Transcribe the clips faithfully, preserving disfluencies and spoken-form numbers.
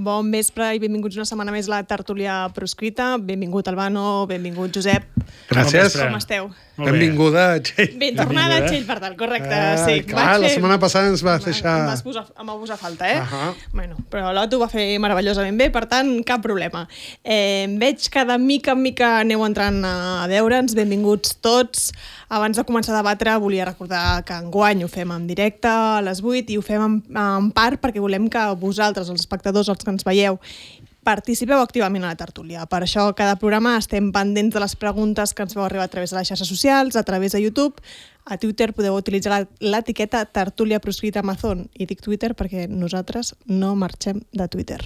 Bon vespre i benvinguts una setmana més a la tertúlia proscrita. Benvingut Albano, benvingut Josep. Gràcies. Com esteu? Benvinguda, Txell. Ben tornada, Txell, per tant, correcte. Ah, sí. clar, la setmana passada ens vas deixar... Em vas posar, em va posar falta, eh? Uh -huh. Bueno, però l'Otto ho va fer meravellosament bé, per tant, cap problema. Eh, veig que de mica en mica aneu entrant a veure'ns. Benvinguts tots. Abans de començar a debatre, volia recordar que enguany ho fem en directe a les vuit i ho fem en, en part perquè volem que vosaltres, els espectadors, els que ens veieu, participeu activament a la tertúlia. Per això, cada programa estem pendents de les preguntes que ens veu arribar a través de les xarxes socials, a través de YouTube. A Twitter podeu utilitzar l'etiqueta tertúlia proscrita Amazon. I dic Twitter perquè nosaltres no marxem de Twitter.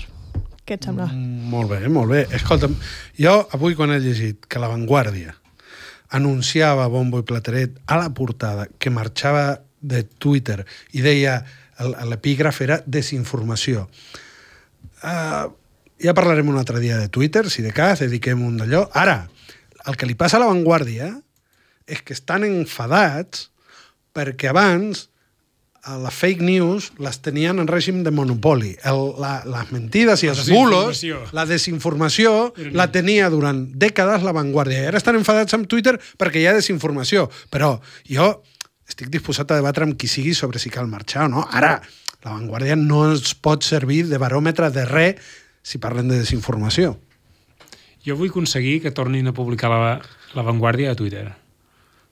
Què et sembla? Mm, molt bé, molt bé. Escolta'm, jo avui quan he llegit que La Vanguardia anunciava bombo i plateret a la portada que marxava de Twitter i deia, l'epígraf era desinformació. Uh, ja parlarem un altre dia de Twitter, si de cas, dediquem un d'allò. Ara, el que li passa a La Vanguardia és que estan enfadats perquè abans les fake news les tenien en règim de monopoli. El, la, les mentides i els bulos, la desinformació, la tenia durant dècades La Vanguardia. I ara estan enfadats amb Twitter perquè hi ha desinformació. Però jo estic disposat a debatre amb qui sigui sobre si cal marxar o no. Ara, La Vanguardia no es pot servir de baròmetre de res si parlen de desinformació. Jo vull aconseguir que tornin a publicar la, la Vanguardia a Twitter.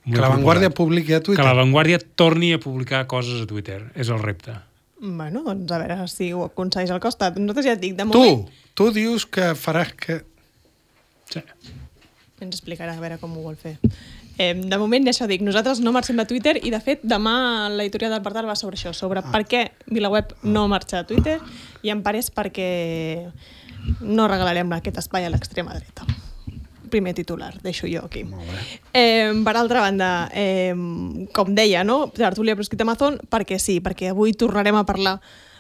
Que La Vanguardia publiqui a Twitter? Que La Vanguardia torni a publicar coses a Twitter. És el repte. Bueno, doncs a veure si ho aconsegueix al costat. Nosaltres ja et dic, de moment... Tu, tu dius que faràs que... Sí. Ens explicarà a veure com ho vol fer. Eh, de moment, ja això dic, nosaltres no marxem de Twitter i, de fet, demà l'editorial del Partal va sobre això, sobre ah. per què VilaWeb no marxa de Twitter i en part és perquè no regalarem aquest espai a l'extrema dreta. Primer titular, deixo jo aquí. Eh, per altra banda, eh, com deia, no? Tertúlia proscrita Amazon, perquè sí, perquè avui tornarem a parlar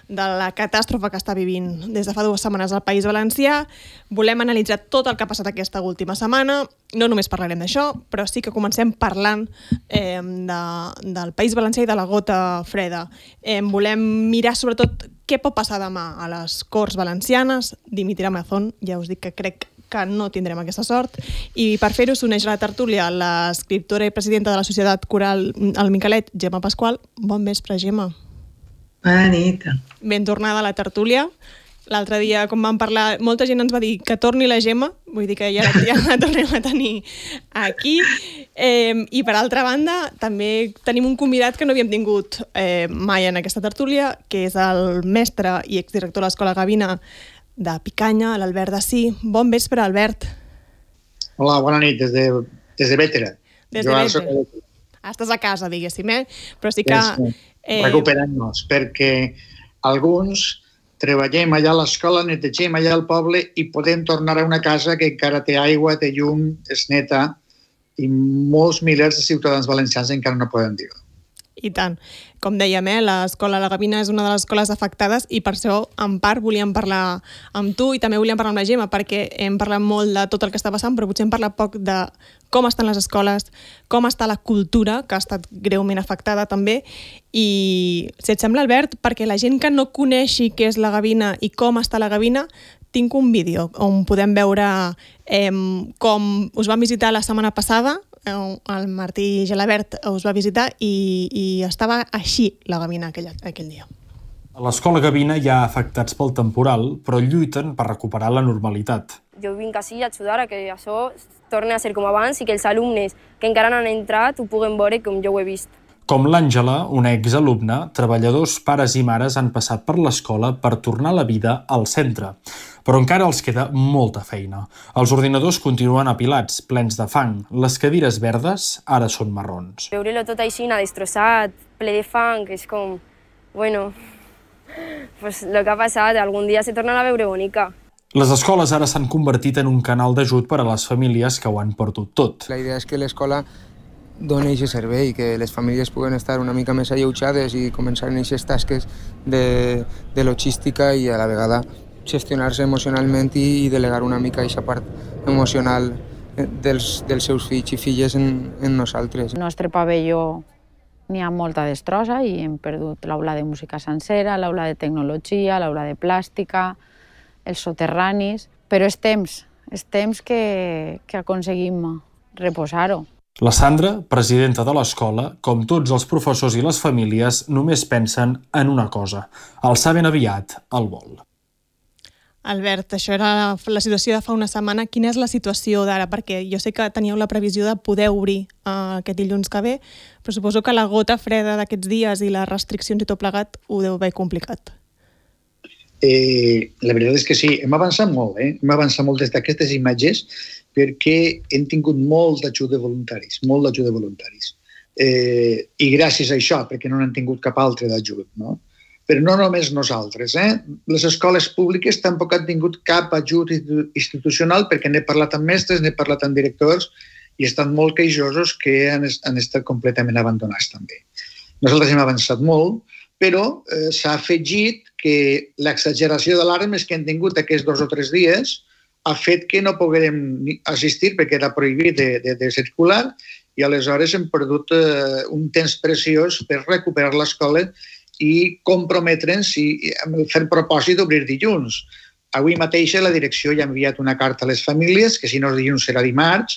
de la catàstrofe que està vivint des de fa dues setmanes al País Valencià. Volem analitzar tot el que ha passat aquesta última setmana. No només parlarem d'això, però sí que comencem parlant eh, de, del País Valencià i de la gota freda. Eh, volem mirar sobretot què pot passar demà a les Corts Valencianes. Dimitirà Amazon, ja us dic que crec que no tindrem aquesta sort. I per fer-ho s'uneix a la tertúlia l'escriptora i presidenta de la Societat Coral El Miquelet, Gemma Pasqual. Bon vespre, Gemma. Bona nit. Ben tornada a la tertúlia. L'altre dia, com vam parlar, molta gent ens va dir que torni la Gemma, vull dir que ja, ja la tornem a tenir aquí. Eh, I per altra banda, també tenim un convidat que no havíem tingut eh, mai en aquesta tertúlia, que és el mestre i exdirector de l'Escola Gavina de Picanya, l'Albert Dací. Bon vespre, Albert. Hola, bona nit, des de, des de Bétera. Des de Bétera. Estàs a casa, diguéssim, eh? Però sí que... Sí, eh... recuperant-nos, perquè alguns treballem allà a l'escola, netegem allà al poble i podem tornar a una casa que encara té aigua, té llum, és neta, i molts milers de ciutadans valencians encara no poden dir-ho. I tant. Com dèiem, eh, l'escola La Gavina és una de les escoles afectades i per això, en part, volíem parlar amb tu i també volíem parlar amb la Gemma, perquè hem parlat molt de tot el que està passant, però potser hem parlat poc de com estan les escoles, com està la cultura, que ha estat greument afectada també. I, si et sembla, Albert, perquè la gent que no coneixi què és la Gavina i com està la Gavina, tinc un vídeo on podem veure eh, com us vam visitar la setmana passada. El Martí Gelabert us va visitar i, i estava així la Gavina aquell, aquell dia. A l'escola Gavina hi ha afectats pel temporal, però lluiten per recuperar la normalitat. Jo vinc així a ajudar a que això torni a ser com abans i que els alumnes que encara no han entrat ho puguen veure com jo ho he vist. Com l'Àngela, una exalumna, treballadors, pares i mares han passat per l'escola per tornar la vida al centre. Però encara els queda molta feina. Els ordinadors continuen apilats, plens de fang. Les cadires verdes ara són marrons. Veure-lo tot així, destrossat, ple de fang, és com... Bueno, pues el que ha passat, algun dia se tornarà a veure bonica. Les escoles ara s'han convertit en un canal d'ajut per a les famílies que ho han perdut tot. La idea és que l'escola doni aquest servei, que les famílies puguen estar una mica més alleujades i començar en aquestes tasques de, de logística i a la vegada gestionar-se emocionalment i, i delegar una mica aquesta part emocional dels, dels seus fills i filles en, en nosaltres. El nostre pavelló n'hi ha molta destrossa i hem perdut l'aula de música sencera, l'aula de tecnologia, l'aula de plàstica, els soterranis, però és temps, és temps que, que aconseguim reposar-ho. La Sandra, presidenta de l'escola, com tots els professors i les famílies, només pensen en una cosa, alçar ben aviat el vol. Albert, això era la situació de fa una setmana. Quina és la situació d'ara? Perquè jo sé que teníeu la previsió de poder obrir uh, aquest dilluns que ve, però suposo que la gota freda d'aquests dies i les restriccions i tot plegat ho deu haver complicat. Eh, la veritat és que sí, hem avançat molt, eh? hem avançat molt des d'aquestes imatges perquè hem tingut molt d'ajut de voluntaris, molt d'ajut de voluntaris. Eh, I gràcies a això, perquè no n'han tingut cap altre d'ajut, no? Però no només nosaltres. Eh? Les escoles públiques tampoc han tingut cap ajut institucional perquè n'he parlat amb mestres, n'he parlat amb directors i estan molt queixosos que han, han estat completament abandonats també. Nosaltres hem avançat molt, però eh, s'ha afegit que l'exageració d'alarmes que hem tingut aquests dos o tres dies ha fet que no poguérem assistir perquè era prohibit de, de, de circular i aleshores hem perdut eh, un temps preciós per recuperar l'escola i comprometre'ns i fer el propòsit d'obrir dilluns. Avui mateix la direcció ja ha enviat una carta a les famílies, que si no és dilluns serà dimarts,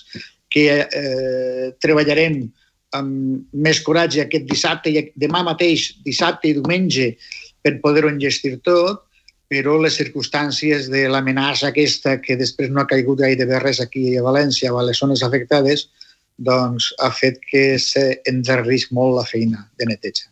que eh, treballarem amb més coratge aquest dissabte i demà mateix, dissabte i diumenge, per poder-ho engestir tot, però les circumstàncies de l'amenaça aquesta, que després no ha caigut gairebé res aquí a València o a les zones afectades, doncs ha fet que s'endarrerís molt la feina de neteja.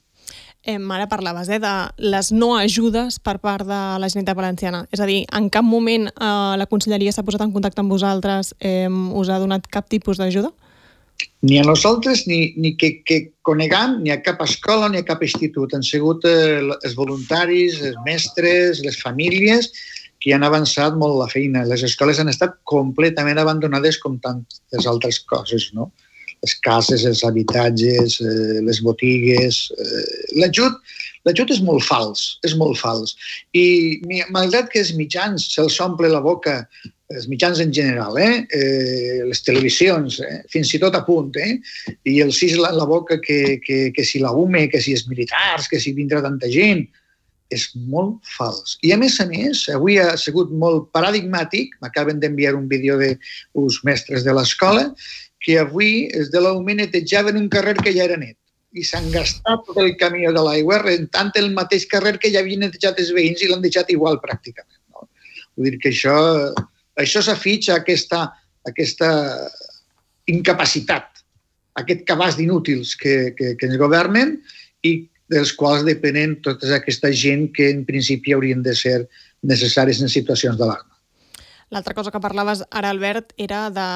Eh, ara parlaves eh, de les no ajudes per part de la Generalitat Valenciana. És a dir, en cap moment eh, la Conselleria s'ha posat en contacte amb vosaltres, eh, us ha donat cap tipus d'ajuda? Ni a nosaltres, ni, ni que, que conegam, ni a cap escola, ni a cap institut. Han sigut eh, els voluntaris, els mestres, les famílies, que han avançat molt la feina. Les escoles han estat completament abandonades com tantes altres coses, no? Les cases, els habitatges, eh, les botigues... Eh, l'ajut, l'ajut és molt fals, és molt fals. I malgrat que els mitjans se'ls omple la boca, els mitjans en general, eh, eh, les televisions, eh, fins i tot a punt, eh, i els s'isla en la boca que, que, que si la U M E, que si els militars, que si vindrà tanta gent, és molt fals. I a més a més, avui ha sigut molt paradigmàtic, m'acaben d'enviar un vídeo d'uns mestres de l'escola, que avui els de la U M E netejaven un carrer que ja era net i s'han gastat tot el camió de l'aigua rentant el mateix carrer que ja havien netejat els veïns i l'han deixat igual pràcticament. No? Vull dir que això, això s'afitxa aquesta, aquesta incapacitat, aquest cabàs d'inútils que, que, que ens governen i dels quals depenen tota aquesta gent que en principi haurien de ser necessaris en situacions d'alarma. L'altra cosa que parlaves ara, Albert, era de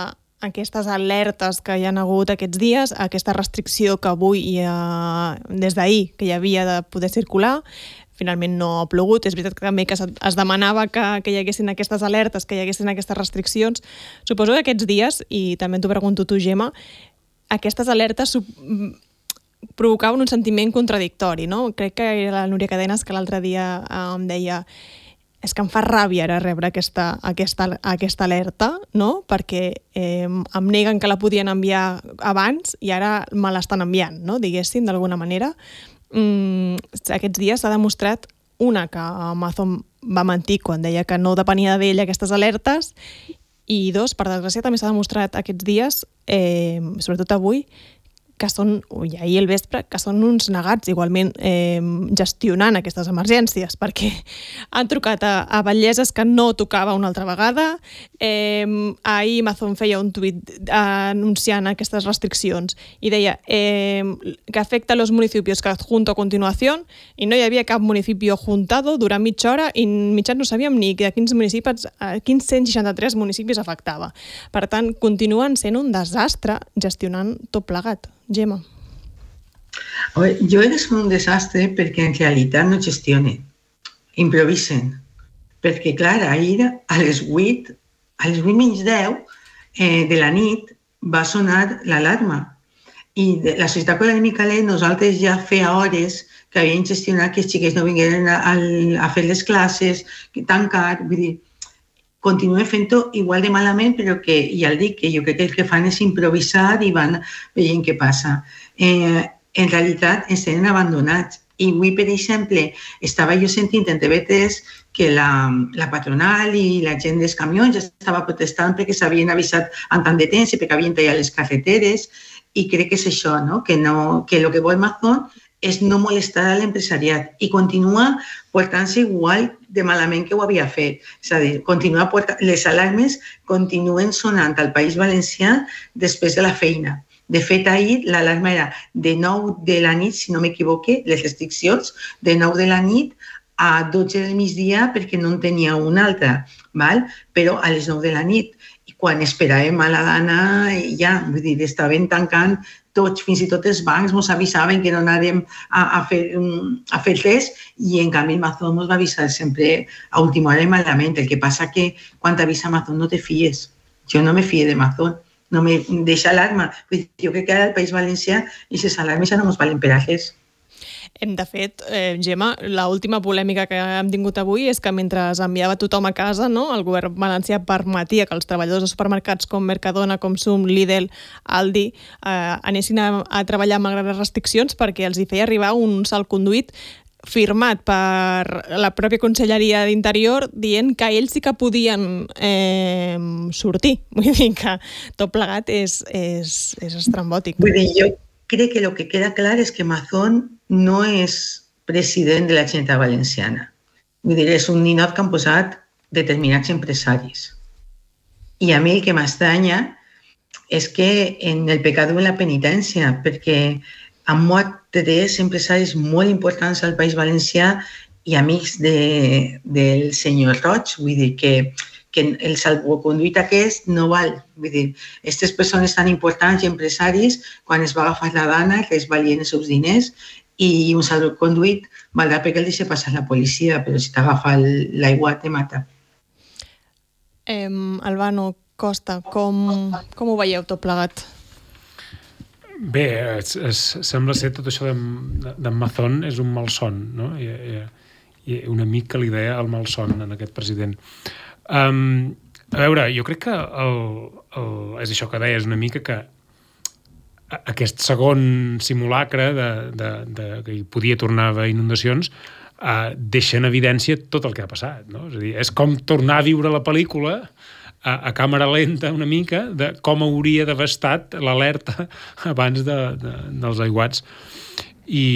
aquestes alertes que hi ha hagut aquests dies, aquesta restricció que avui hi ha, des d'ahir, que hi havia de poder circular, finalment no ha plogut. És veritat que també que es demanava que, que hi haguessin aquestes alertes, que hi haguessin aquestes restriccions. Suposo que aquests dies, i també t'ho pregunto tu, Gemma, aquestes alertes provocaven un sentiment contradictori, no? Crec que era la Núria Cadenes que l'altre dia em deia és que em fa ràbia ara rebre aquesta, aquesta, aquesta alerta, no? Perquè eh, em neguen que la podien enviar abans i ara me l'estan enviant, no? Diguéssim, d'alguna manera. Mm, aquests dies s'ha demostrat, una, que Amazon va mentir quan deia que no depenia d'ell aquestes alertes, i dos, per desgràcia, també s'ha demostrat aquests dies, eh, sobretot avui, que són, i ahir al vespre, que són uns negats igualment eh, gestionant aquestes emergències, perquè han trucat a, a batlleses que no tocava una altra vegada. Eh, ahir Amazon feia un tuit anunciant aquestes restriccions i deia eh, que afecta a los municipios que adjunto a continuación, i no hi havia cap municipi juntado durant mitja hora i mitjans no sabíem ni de quins municipis, a quins cent seixanta-tres municipis afectava. Per tant, continuen sent un desastre gestionant tot plegat. Gemma. Jo crec que és un desastre perquè en realitat no gestionen, improvisen. Perquè, clar, ahir a les vuit, a les vuit menys deu eh, de la nit va sonar l'alarma. I de la societat Colònia Micalet, nosaltres ja feia hores que havien gestionat que els xiquets no vingueren a, a fer les classes, que tancar, vull dir, continuen fent-ho igual de malament, però que, ja el dic, que jo crec que el que fan és improvisar i van veient què passa. Eh, en realitat ens tenen abandonats. I avui, per exemple, estava jo sentint en T V tres que la, la patronal i la gent dels camions estava protestant perquè s'havien avisat en tant de temps i perquè havien tallat les carreteres, i crec que és això, no? Que, no, que el que vol Mazón és no molestar a l'empresariat i continua portant-se igual de malament que ho havia fet. És a dir, continua portant, les alarmes continuen sonant al País Valencià després de la feina. De fet, ahir l'alarma era de nou de la nit, si no m'equivoque, les restriccions, de nou de la nit a dotze del migdia perquè no en tenia una altra, val? Però a les nou de la nit. I quan esperàvem a la dana, ja, vull dir, estaven tancant tots, fins i tot els bancs ens avisaven que no anàrem a, a, fer, a fer res, i en canvi el Mazón ens va avisar sempre a última hora i malament. El que passa que quan t'avisa Mazón no te fies. Jo no me fie de Mazón, no me deixa alarma. Jo crec que ara al País Valencià i les alarmes ja no ens valen per a res. De fet, eh, Gemma, l'última polèmica que hem tingut avui és que mentre enviava tothom a casa, no, el govern valencià permetia que els treballadors de supermercats com Mercadona, Consum, Lidl, Aldi eh, anessin a, a treballar malgrat les restriccions perquè els hi feia arribar un salconduit firmat per la pròpia Conselleria d'Interior dient que ells sí que podien eh, sortir. Vull dir que tot plegat és, és, és estrambòtic. Vull dir, jo crec que el que queda clar és que Mazón no és president de la Generalitat Valenciana. Vull dir, és un ninot que han posat determinats empresaris. I a mi el que m'estranya és que en el pecat o en la penitència, perquè han mort tres empresaris molt importants al País Valencià i amics de, del senyor Roig, vull dir que que el salvoconduit aquest no val. Vull dir, aquestes persones tan importants i empresaris, quan es va agafar la dana, que es valien els seus diners, i un salvoconduit valdrà perquè el deixa passar la policia, però si t'agafa l'aigua te mata. Eh, Albano Costa, com, com ho veieu tot plegat? Bé, es, es, sembla ser tot això d'en de Mazón és un malson, no? I, i, i un amic que li deia el malson en aquest president. Um, a veure, jo crec que el, el, és això que deies una mica, que aquest segon simulacre de, de, de, que hi podia tornar a haver inundacions uh, deixa en evidència tot el que ha passat, no? És a dir, és com tornar a viure la pel·lícula a, a càmera lenta una mica de com hauria d'haver estat l'alerta abans de, de, dels aiguats. I,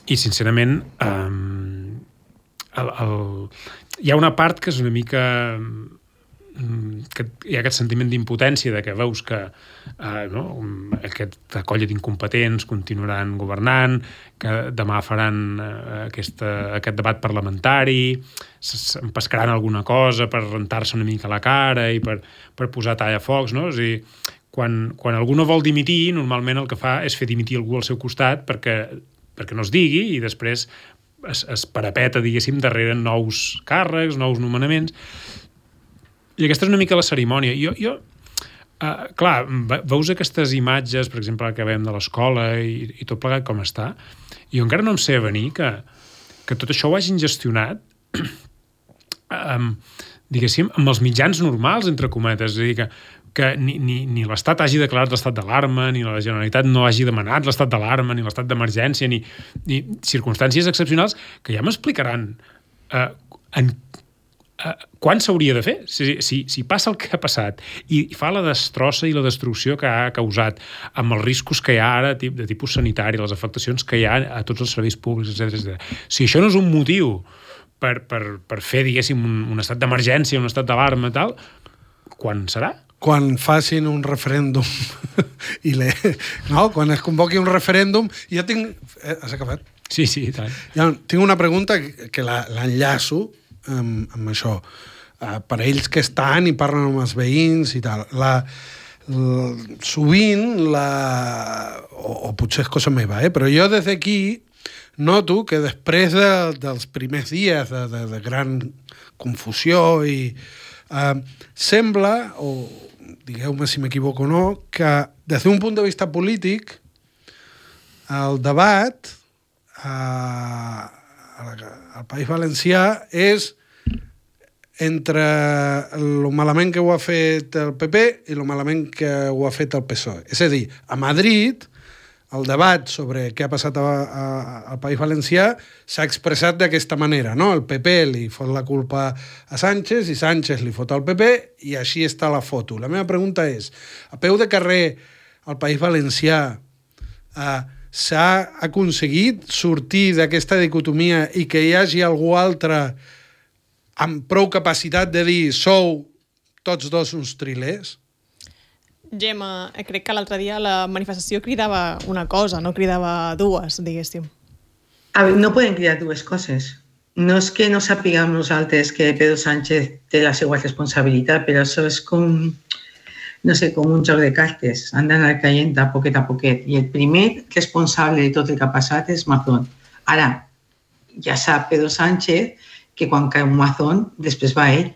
i sincerament um, el, el hi ha una part que és una mica que hi ha aquest sentiment d'impotència de que veus que eh, no, aquesta colla d'incompetents continuaran governant, que demà faran eh, aquesta, aquest debat parlamentari, pescaran alguna cosa per rentar-se una mica la cara i per, per posar tallafocs, no? És a dir, quan, quan algú no vol dimitir, normalment el que fa és fer dimitir algú al seu costat perquè, perquè no es digui i després es, es parapeta, diguéssim, darrere nous càrrecs, nous nomenaments. I aquesta és una mica la cerimònia. Jo, jo uh, clar, veus aquestes imatges, per exemple, que veiem de l'escola i, i tot plegat com està, i jo encara no em sé venir que, que tot això ho hagin gestionat um, diguéssim, amb els mitjans normals, entre cometes. És a dir, que que ni, ni, ni l'Estat hagi declarat l'estat d'alarma, ni la Generalitat no hagi demanat l'estat d'alarma, ni l'estat d'emergència, ni, ni circumstàncies excepcionals que ja m'explicaran eh, en, eh, quan s'hauria de fer. Si, si, si passa el que ha passat i fa la destrossa i la destrucció que ha causat, amb els riscos que hi ha ara de tipus sanitari, les afectacions que hi ha a tots els serveis públics, etcètera. Si això no és un motiu per, per, per fer, diguéssim, un, un estat d'emergència, un estat d'alarma i tal, quan serà? Quan facin un referèndum i le... no, quan es convoqui un referèndum, jo tinc... Eh, has acabat? Sí, sí, tant. Ja, tinc una pregunta que l'enllaço amb, amb això. Uh, per ells que estan i parlen amb els veïns i tal. La, la, sovint, la, o, o potser és cosa meva, eh, però jo des d'aquí noto que després de, dels primers dies de, de, de gran confusió i uh, sembla, o digueu-me si m'equivoco o no, que des d'un punt de vista polític el debat a, al País Valencià és entre el malament que ho ha fet el P P i el malament que ho ha fet el P S O E. És a dir, a Madrid el debat sobre què ha passat a, a, al País Valencià s'ha expressat d'aquesta manera, no? El P P li fot la culpa a Sánchez i Sánchez li fot al P P i així està la foto. La meva pregunta és, a peu de carrer al País Valencià eh, s'ha aconseguit sortir d'aquesta dicotomia i que hi hagi algú altre amb prou capacitat de dir sou tots dos uns trilers? Gemma, crec que l'altre dia la manifestació cridava una cosa, no cridava dues, diguéssim. A ver, no poden cridar dues coses. No és que no sapiguem nosaltres que Pedro Sánchez té la seva responsabilitat, però això és com, no sé, com un joc de cartes. Han d'anar caient a poquet a poquet. I el primer responsable de tot el que ha passat és Mazón. Ara, ja sap Pedro Sánchez que quan cau Mazón, després va ell.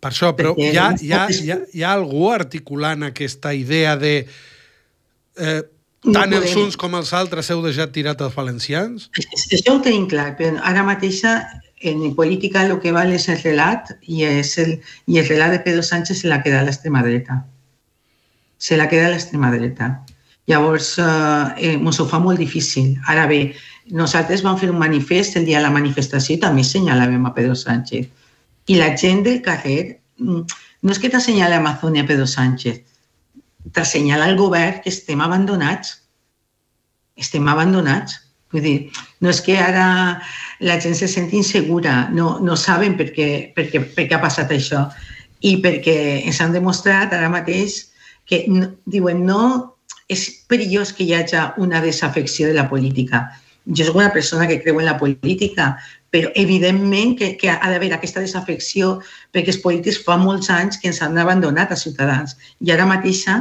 Per això, però hi ha, hi, ha, hi, ha, hi ha algú articulant aquesta idea de eh, tant no els uns com els altres heu deixat tirat els valencians? Això ho tenim clar, però ara mateixa en política el que val és el relat i, és el, i el relat de Pedro Sánchez se l'ha quedat a l'extrema dreta. Se l'ha quedat a l'extrema dreta. Llavors, eh, ens ho fa molt difícil. Ara bé, nosaltres vam fer un manifest el dia de la manifestació i també assenyalàvem a Pedro Sánchez. I la gent del carrer no és que t'assenyala a Mazón i a Pedro Sánchez, t'assenyala al govern que estem abandonats. Estem abandonats. Vull dir, no és que ara la gent se senti insegura, no, no saben per què, per, què, per què ha passat això i perquè ens han demostrat ara mateix que no, diuen no, és perillós que hi hagi una desafecció de la política. Jo soc una persona que creu en la política, però evidentment que, que ha d'haver aquesta desafecció perquè els polítics fa molts anys que ens han abandonat a Ciutadans. I ara mateixa,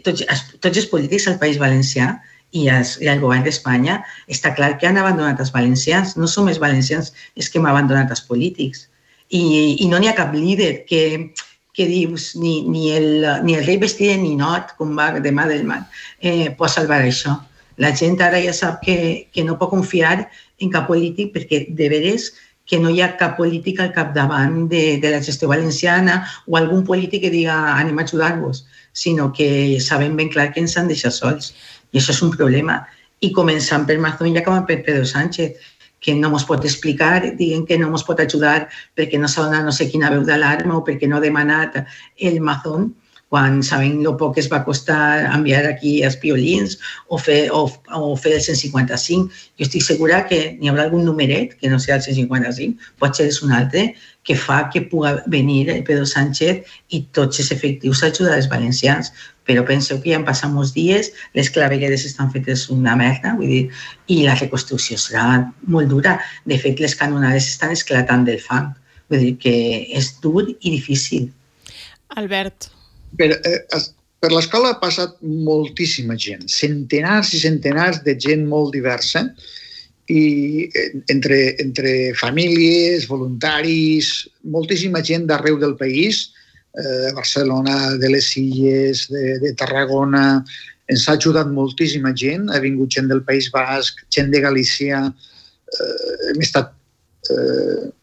tots, tots els polítics al País Valencià i, els, i el govern d'Espanya està clar que han abandonat els valencians. No som els valencians els que hem abandonat els polítics. I, i no n'hi ha cap líder que, que dius ni, ni, el, ni el rei vestit de ninot, com va demà del mar, eh, pot salvar això. La gent ara ja sap que, que no pot confiar en cap polític perquè de veres que no hi ha cap polític al capdavant de, de la gestió valenciana o algun polític que diga anem a ajudar-vos, sinó que sabem ben clar que ens han deixat sols. I això és un problema. I començant per Mazón i acabant per Pedro Sánchez, que no ens pot explicar, diguen que no ens pot ajudar perquè no s'ha donat no sé quina veu d'alarma o perquè no ha demanat el Mazón, quan sabem el poc que es va costar enviar aquí els piolins o fer, o, o fer el cent cinquanta-cinc. Jo estic segura que n'hi haurà algun numeret, que no sigui el cent cinquanta-cinc, potser és un altre, que fa que pugui venir el Pedro Sánchez i tots els efectius a ajudar els valencians. Però penseu que ja han passat molts dies, les clavegueres estan fetes una merda, vull dir, i la reconstrucció serà molt dura. De fet, les canonades estan esclatant del fang. Vull dir que és dur i difícil. Albert. Per, eh, per l'escola ha passat moltíssima gent, centenars i centenars de gent molt diversa, i entre, entre famílies, voluntaris, moltíssima gent d'arreu del país, eh, Barcelona, de les Illes, de, de Tarragona. Ens ha ajudat moltíssima gent, ha vingut gent del País Basc, gent de Galícia, eh, hem estat... Eh,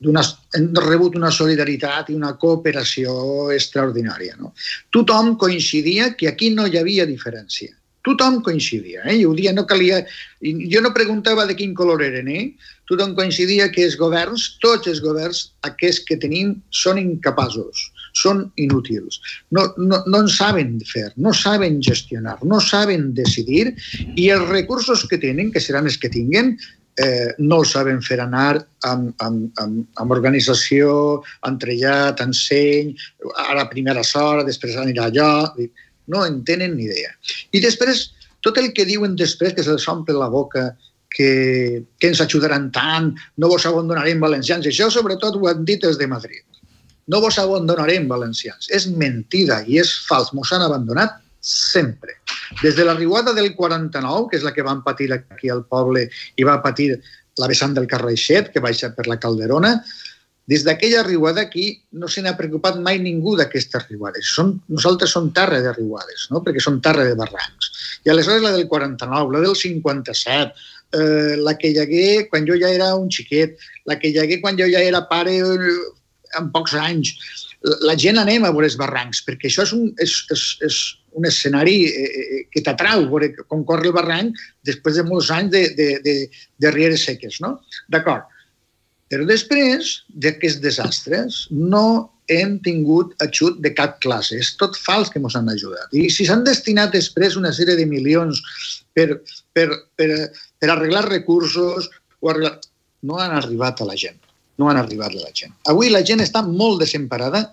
hem rebut una solidaritat i una cooperació extraordinària. No? Tothom coincidia que aquí no hi havia diferència. Tothom coincidia. Eh? Jo, dia no calia... jo no preguntava de quin color eren. Eh? Tothom coincidia que els governs, tots els governs, aquests que tenim, són incapaços, són inútils. No, no, no en saben fer, no saben gestionar, no saben decidir i els recursos que tenen, que seran els que tinguen, Eh, no el saben fer anar amb, amb, amb, amb organització, entrellat, enseny, ara primera hora, després anirà allò... No en tenen ni idea. I després, tot el que diuen després, que se'ls omple la boca, que, que ens ajudaran tant, no vos abandonarem valencians, això sobretot ho han dit els de Madrid. No vos abandonarem valencians. És mentida i és fals. Mos han abandonat sempre. Des de la riuada del quaranta-nou, que és la que van patir aquí al poble i va patir la vessant del Carraixet, que baixa per la Calderona, Des d'aquella riuada aquí no se n'ha preocupat mai ningú d'aquestes riuades. Som, nosaltres som terra de riuades, no? Perquè som terra de barrancs. I aleshores la del quaranta-nou, la del cinquanta-set, eh, la que hi hagué quan jo ja era un xiquet, la que hi hagué quan jo ja era pare en pocs anys. La gent anem a veure els barrancs, perquè això és un, és, és, és un escenari eh, que t'atrau, veure com corre el barranc després de molts anys de, de, de, de rieres seques, no? D'acord. Però després d'aquests desastres no hem tingut ajut de cap classe. És tot fals que ens han ajudat. I si s'han destinat després una sèrie de milions per, per, per, per arreglar recursos, o arreglar... no han arribat a la gent. No han arribat a la gent. Avui la gent està molt desemparada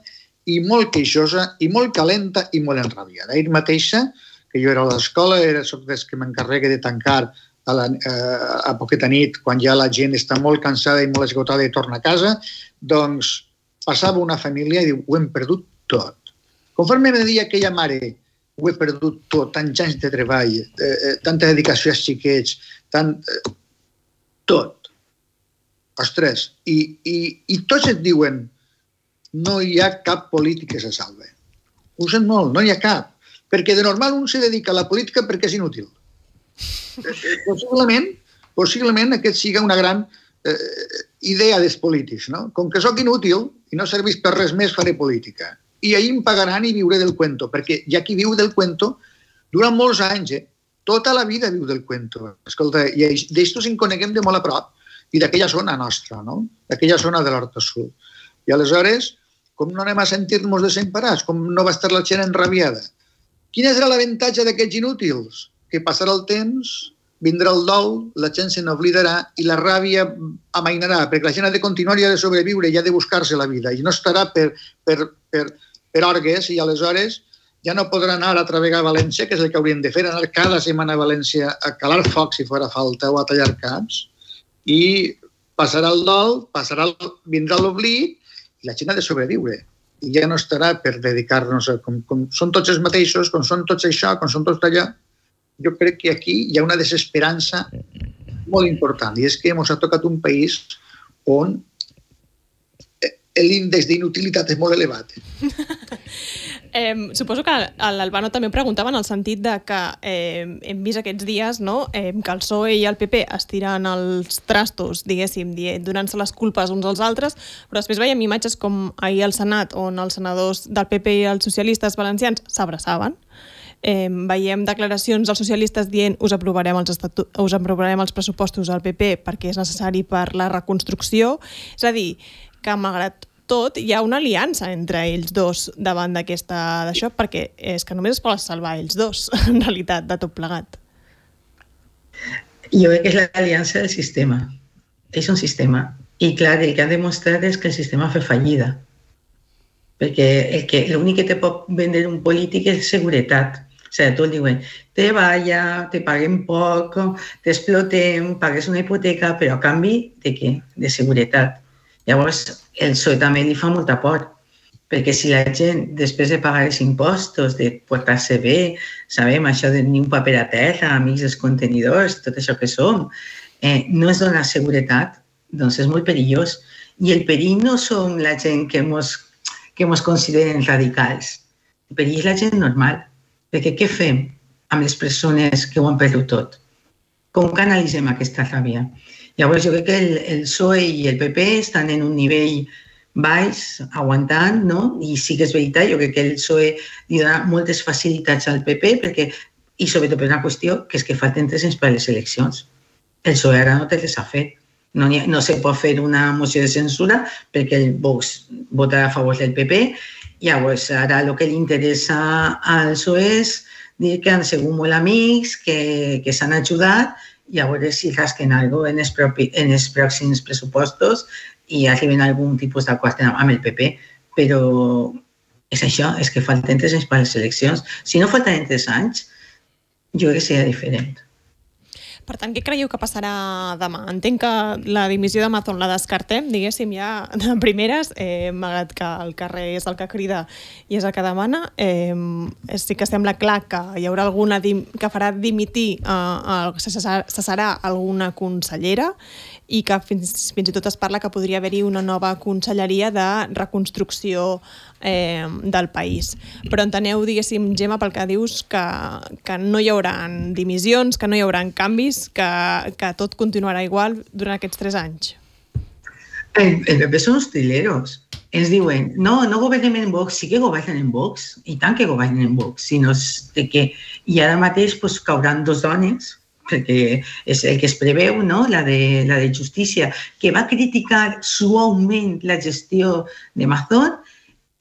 i molt queixosa i molt calenta i molt enrabiada. Ahir mateixa, que jo era a l'escola, era soc des que m'encarrega de tancar a, la, a poqueta nit, quan ja la gent està molt cansada i molt esgotada i torna a casa, doncs passava una família i diu, ho hem perdut tot. Conforme me deia aquella mare, ho he perdut tot, tants anys de treball, eh, tanta dedicació als xiquets, tant, eh, tot. Ostres, i, i, i tots et diuen, no hi ha cap polític que se salve. Ho sent molt, no hi ha cap. Perquè de normal un se dedica a la política perquè és inútil. Possiblement, possiblement aquest siga una gran eh, idea dels polítics, no? Com que sóc inútil i no serveix per res més, faré política. I ahir em pagaran i viuré del cuento, perquè hi ha qui viu del cuento durant molts anys, eh? Tota la vida viu del cuento. Escolta, i d'això ens en coneguem de molt a prop i d'aquella zona nostra, no? D'aquella zona de l'Horta Sud. I aleshores, com no anem a sentir-nos desemparats? Com no va estar la gent enrabiada? Quin és l'avantatge d'aquests inútils? Que passarà el temps, vindrà el dol, la gent se n'oblidarà i la ràbia amainarà, perquè la gent ha de continuar i ha de sobreviure i ha de buscar-se la vida. I no estarà per, per, per, per orgues i aleshores ja no podrà anar a travegar a València, que és el que haurien de fer, anar cada setmana a València a calar foc si fora falta o a tallar caps, i passarà el dol, passarà el, vindrà l'oblit i la gent ha de sobreviure. I ja no estarà per dedicar-nos a... Com, com són tots els mateixos, com són tots això, com són tots allà. Jo crec que aquí hi ha una desesperança molt important i és que ens ha tocat un país on l'índex d'inutilitat és molt elevat. Eh, suposo que a l'Albano també em preguntava en el sentit de que eh, hem vist aquests dies, no?, eh, que el P S O E i el P P estiren els trastos, diguéssim, donant-se les culpes uns als altres, però després veiem imatges com ahir al Senat, on els senadors del P P i els socialistes valencians s'abraçaven. Eh, veiem declaracions dels socialistes dient us aprovarem els, estatu... us aprovarem els pressupostos al P P perquè és necessari per la reconstrucció. És a dir, que malgrat tot hi ha una aliança entre ells dos davant d'aquesta d'això, perquè és que només es poden salvar ells dos, en realitat, de tot plegat. Jo crec que és l'aliança del sistema. És un sistema. I clar, el que han demostrat és que el sistema fa fallida. Perquè el que, l'únic que te pot vendre un polític és seguretat. O sigui, tu diuen, treballa, te paguem poc, t'explotem, pagues una hipoteca, però a canvi de què? De seguretat. Llavors, el P S O E també li fa molta por, perquè si la gent, després de pagar els impostos, de portar-se bé, sabem això de ni un paper a terra, amics dels contenidors, tot això que som, eh, no es dona seguretat, doncs és molt perillós. I el perill no som la gent que mos, que mos consideren radicals. El perill és la gent normal. Perquè què fem amb les persones que ho han perdut tot? Com canalitzem aquesta ràbia? Llavors, jo crec que el, el P S O E i el P P estan en un nivell baix, aguantant, no? I sí que és veritat, jo crec que el P S O E li dona moltes facilitats al P P, perquè, i sobretot per una qüestió, que és que falten tres anys per a les eleccions. El P S O E ara no té res a fer. No, ha, no se pot fer una moció de censura perquè el Vox votarà a favor del P P. Llavors, ara el que li interessa al P S O E és dir que han sigut molt amics, que, que s'han ajudat, i a veure si rasquen alguna cosa en els, propi, en els pròxims pressupostos i arriben a algun tipus d'acord amb el P P. Però és això, és que falten tres anys per a les eleccions. Si no falten tres anys, jo crec que seria diferent. Per tant, què creieu que passarà demà? Entenc que la dimissió d'Amazon la descartem, diguéssim, ja de primeres, eh, malgrat que el carrer és el que crida i és el que demana. Eh, sí que sembla clar que hi haurà alguna dim que farà dimitir, eh, se cessarà alguna consellera i que fins, fins i tot es parla que podria haver-hi una nova conselleria de reconstrucció eh, del país. Però enteneu, diguéssim, Gemma, pel que dius, que, que no hi haurà dimissions, que no hi haurà canvis, que, que tot continuarà igual durant aquests tres anys. El, el P P són uns trileros. Ens diuen, no, no governem en Vox, sí que governen en Vox, i tant que governen en Vox, sinó que i ara mateix pues, cauran dos dones, perquè és el que es preveu, no? la, de, la de Justícia, que va criticar suaument la gestió d'Amazon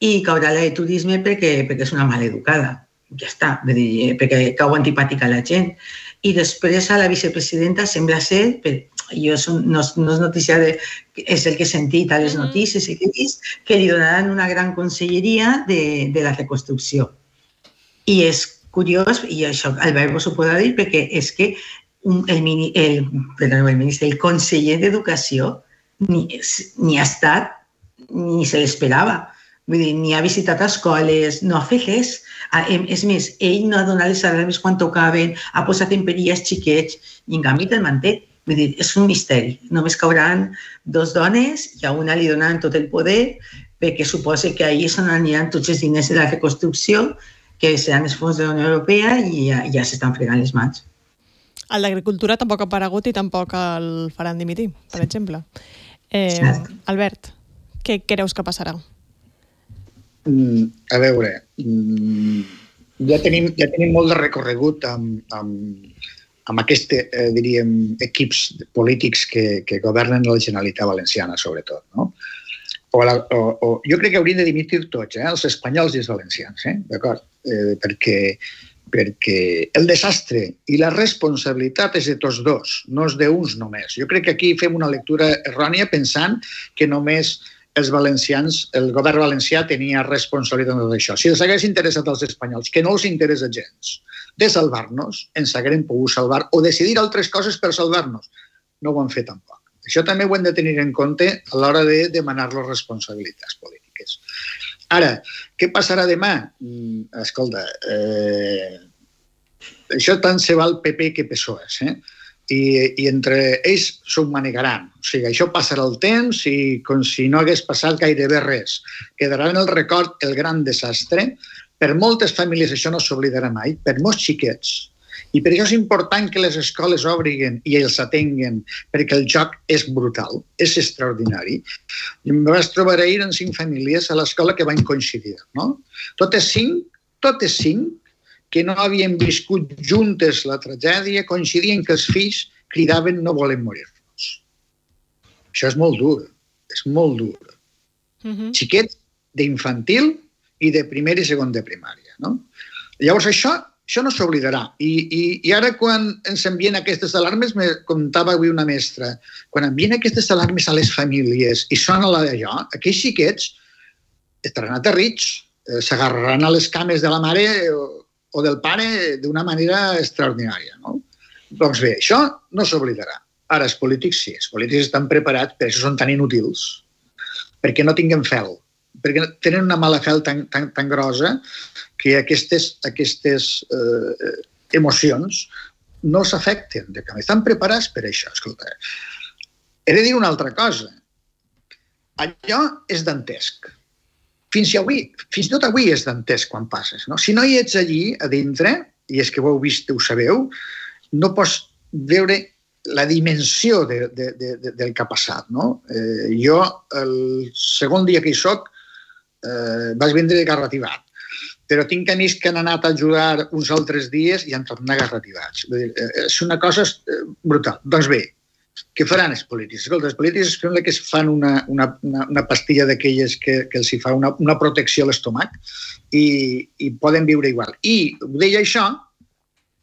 i caurà la de Turisme perquè, perquè és una maleducada. Ja està, dir, perquè cau antipàtica a la gent. I després a la vicepresidenta sembla ser, per, jo som, no, no és notícia, de, és el que he sentit a les notícies i que he vist, que li donaran una gran conselleria de, de la reconstrucció. I és curiós, i això Albert vos ho podrà dir, perquè és que un, el, mini, el, perdó, el, ministre, el conseller d'Educació ni, ni ha estat, ni se l'esperava. Vull dir, ni ha visitat escoles, no ha fet res. És més, ell no ha donat les alarmes quan tocaven, ha posat en perill els xiquets i en canvi te'l manté. Vull dir, és un misteri. Només cauran dos dones i a una li donaran tot el poder perquè suposa que ahir se n'aniran tots els diners de la reconstrucció que seran els fons de la Unió Europea i ja, ja s'estan fregant les mans. El d'Agricultura tampoc ha aparegut i tampoc el faran dimitir, per exemple. Eh, Albert, què creus que passarà? Mm, a veure, mm, ja, tenim, ja tenim molt de recorregut amb, amb, amb aquests, eh, diríem, equips polítics que, que governen la Generalitat Valenciana, sobretot, no? O la, o, o, jo crec que haurien de dimitir tots, eh? Els espanyols i els valencians, eh? D'acord? Eh, perquè, perquè el desastre i la responsabilitat és de tots dos, no és d'uns només. Jo crec que aquí fem una lectura errònia pensant que només els valencians, el govern valencià tenia responsabilitat en tot això. Si els hagués interessat als espanyols, que no els interessa gens, de salvar-nos, ens haguem pogut salvar o decidir altres coses per salvar-nos. No ho han fet tampoc. Això també ho hem de tenir en compte a l'hora de demanar les responsabilitats polítiques. Ara, què passarà demà? Escolta, eh, això tant se val P P que P S O E, eh? I, i entre ells s'ho manegaran. O sigui, això passarà el temps i com si no hagués passat gairebé res. Quedarà en el record el gran desastre. Per moltes famílies això no s'oblidarà mai, per molts xiquets. I per això és important que les escoles obriguen i els atenguen, perquè el joc és brutal, és extraordinari. I em vaig trobar ahir en cinc famílies a l'escola que van coincidir, no? Totes cinc, totes cinc, que no havien viscut juntes la tragèdia, coincidien que els fills cridaven no volem morir-nos. Això és molt dur, és molt dur. Uh-huh. Xiquets d'infantil i de primer i segon de primària, no? Llavors això, això no s'oblidarà. I, i, I ara quan ens envien aquestes alarmes, me contava avui una mestra, quan envien aquestes alarmes a les famílies i sona la d'allò, aquells xiquets estaran aterrits, s'agarraran a les cames de la mare o o del pare d'una manera extraordinària, no? Doncs bé, això no s'oblidarà. Ara, els polítics sí, els polítics estan preparats, per això són tan inútils, perquè no tinguen fel, perquè tenen una mala fel tan, tan, tan grossa que aquestes, aquestes eh, emocions no s'afecten, que estan preparats per això. Escolta, he de dir una altra cosa. Allò és dantesc. Fins, avui, fins i tot avui és dantesc quan passes. No? Si no hi ets allí, a dintre, i és que ho heu vist, ho sabeu, no pots veure la dimensió de, de, de, de, del que ha passat. No? Eh, jo, el segon dia que hi soc, eh, vaig vindre garrativat. Però tinc amics que han anat a ajudar uns altres dies i han tornat garrativats. És una cosa brutal. Doncs bé, què faran els polítics? Escolta, els polítics sembla que es fan una, una, una, una pastilla d'aquelles que, que els hi fa una, una protecció a l'estómac i, i poden viure igual. I ho deia això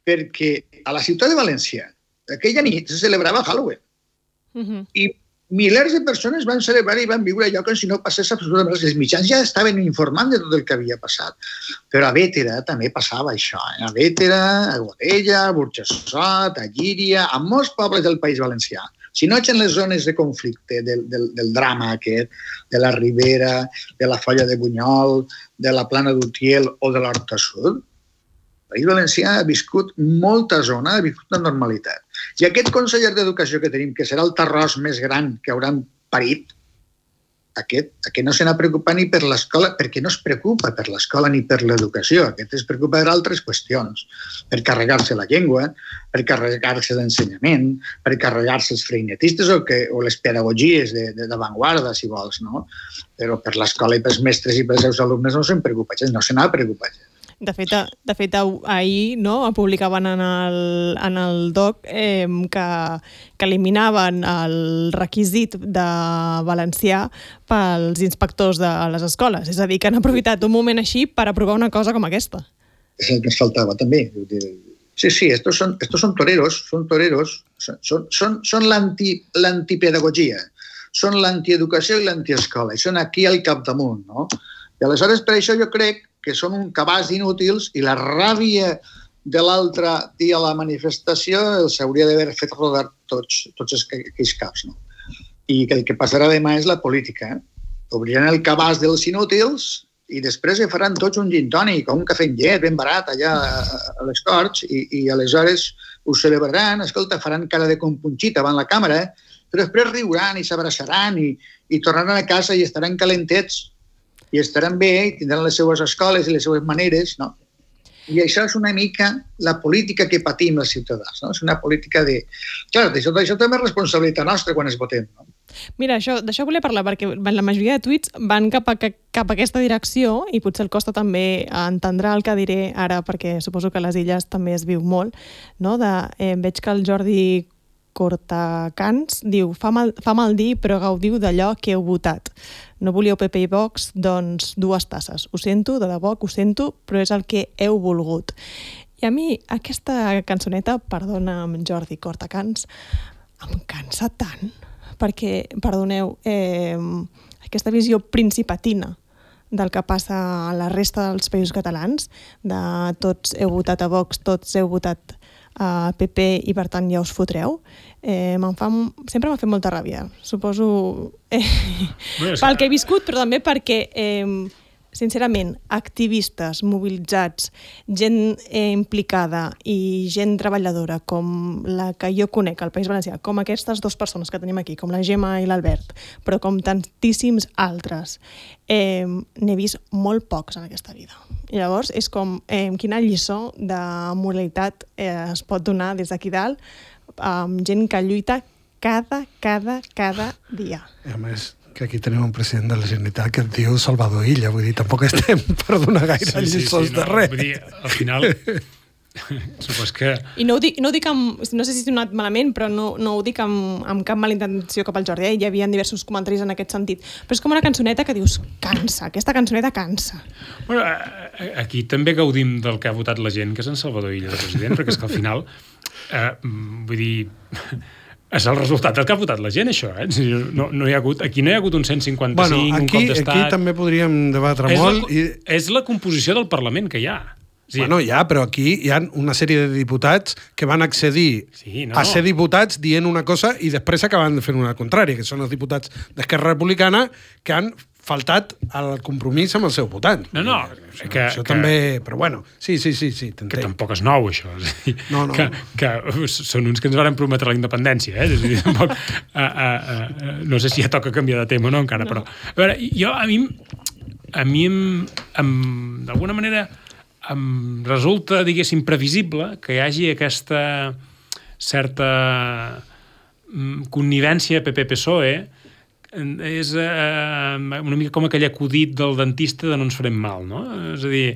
perquè a la ciutat de València aquella nit se celebrava Halloween. Uh-huh. I milers de persones van celebrar i van viure allò com si no passés absolutament res. Els mitjans ja estaven informant de tot el que havia passat. Però a Bétera també passava això. Eh? A Bétera, a Godella, a Burjassot, a Llíria, a molts pobles del País Valencià. Si no ets en les zones de conflicte del, del, del drama aquest, de la Ribera, de la Folla de Bunyol, de la Plana d'Utiel o de l'Horta Sud, el País Valencià ha viscut molta zona, ha viscut una normalitat. I aquest conseller d'Educació que tenim, que serà el terròs més gran que hauran parit, aquest, aquest no se n'ha preocupat ni per l'escola, perquè no es preocupa per l'escola ni per l'educació. Aquest es preocupa per altres qüestions, per carregar-se la llengua, per carregar-se l'ensenyament, per carregar-se els freinetistes o, que, o les pedagogies d'avantguarda, si vols, no? Però per l'escola i pels mestres i pels seus alumnes no se'n preocupa gens, no se n'ha preocupat gens. De fet, de fet ahir no, publicaven en el, en el doc eh, que, que eliminaven el requisit de valencià pels inspectors de les escoles. És a dir, que han aprofitat un moment així per aprovar una cosa com aquesta. És el que ens faltava també. Sí, sí, estos son, estos son toreros, son toreros, son, son, son l'anti, l'antipedagogia, són l'antieducació i l'antiescola, i són aquí al capdamunt, no? I aleshores, per això jo crec que són un cabàs d'inútils i la ràbia de l'altre dia a la manifestació els hauria d'haver fet rodar tots, tots aquells caps. No? I que el que passarà demà és la política. Eh? Obriran el cabàs dels inútils i després faran tots un gin tònic o un cafè amb llet ben barat allà a les Corts i, i aleshores ho celebraran, escolta, faran cara de compunxit davant la càmera, eh? Però després riuran i s'abraçaran i, i tornaran a casa i estaran calentets i estaran bé, i tindran les seues escoles i les seues maneres, no? I això és una mica la política que patim els ciutadans, no? És una política de... Clar, d'això, d'això també és responsabilitat nostra quan es votem, no? Mira, això, d'això volia parlar, perquè la majoria de tuits van cap a, cap a aquesta direcció i potser el costa també entendrà el que diré ara, perquè suposo que a les Illes també es viu molt, no? De, eh, veig que el Jordi Cortacans diu, fa mal, fa mal dir, però gaudiu d'allò que heu votat. No volíeu P P i Vox, doncs dues tasses. Ho sento, de debò que ho sento, però és el que heu volgut. I a mi aquesta cançoneta, perdona'm Jordi Cortacans, em cansa tant, perquè, perdoneu, eh, aquesta visió principatina del que passa a la resta dels països catalans, de tots heu votat a Vox, tots heu votat a P P i per tant ja us fotreu, eh, fa, sempre m'ha fet molta ràbia. Suposo eh, pel que he viscut, però també perquè, eh, sincerament, activistes mobilitzats, gent eh, implicada i gent treballadora com la que jo conec al País Valencià, com aquestes dues persones que tenim aquí, com la Gemma i l'Albert, però com tantíssims altres, eh, n'he vist molt pocs en aquesta vida. I llavors és com eh, quina lliçó de moralitat eh, es pot donar des d'aquí dalt amb gent que lluita cada, cada, cada dia. I a més, que aquí tenim un president de la Generalitat que es diu Salvador Illa, vull dir, tampoc estem per donar gaire sí, sí, lliçons sí, no, de res. Vull dir, al final... Supos que... I no ho dic, no ho dic amb, no sé si he donat malament, però no, no ho dic amb, amb cap mala intenció cap al Jordi, eh? Hi havia diversos comentaris en aquest sentit, però és com una cançoneta que dius, cansa, aquesta cançoneta cansa. Bueno, aquí també gaudim del que ha votat la gent, que és en Salvador Illa de president, perquè és que al final, eh, vull dir, és el resultat del que ha votat la gent, això, eh? No, no hi ha hagut, aquí no hi ha hagut un cent cinquanta-cinc, bueno, aquí, un cop d'estat... Aquí també podríem debatre és molt. La, i... És la composició del Parlament que hi ha. Sí. Bueno, ja, però aquí hi ha una sèrie de diputats que van accedir sí, no. a ser diputats dient una cosa i després acaben fent una contrària, que són els diputats d'Esquerra Republicana que han faltat al compromís amb el seu votant. No, no. Això, que, això que, també... Però bueno, sí, sí, sí. sí que tampoc és nou, això. És dir, no, no. Que, que són uns que ens van prometre la independència, eh? És a dir, tampoc, a, a, a, no sé si ja toca canviar de tema o no encara, no. Però... A veure, jo, a mi, a mi em, em, d'alguna manera... em resulta, diguéssim, previsible que hi hagi aquesta certa connivència P P P S O E. És eh, una mica com aquell acudit del dentista de no ens farem mal, no? És a dir,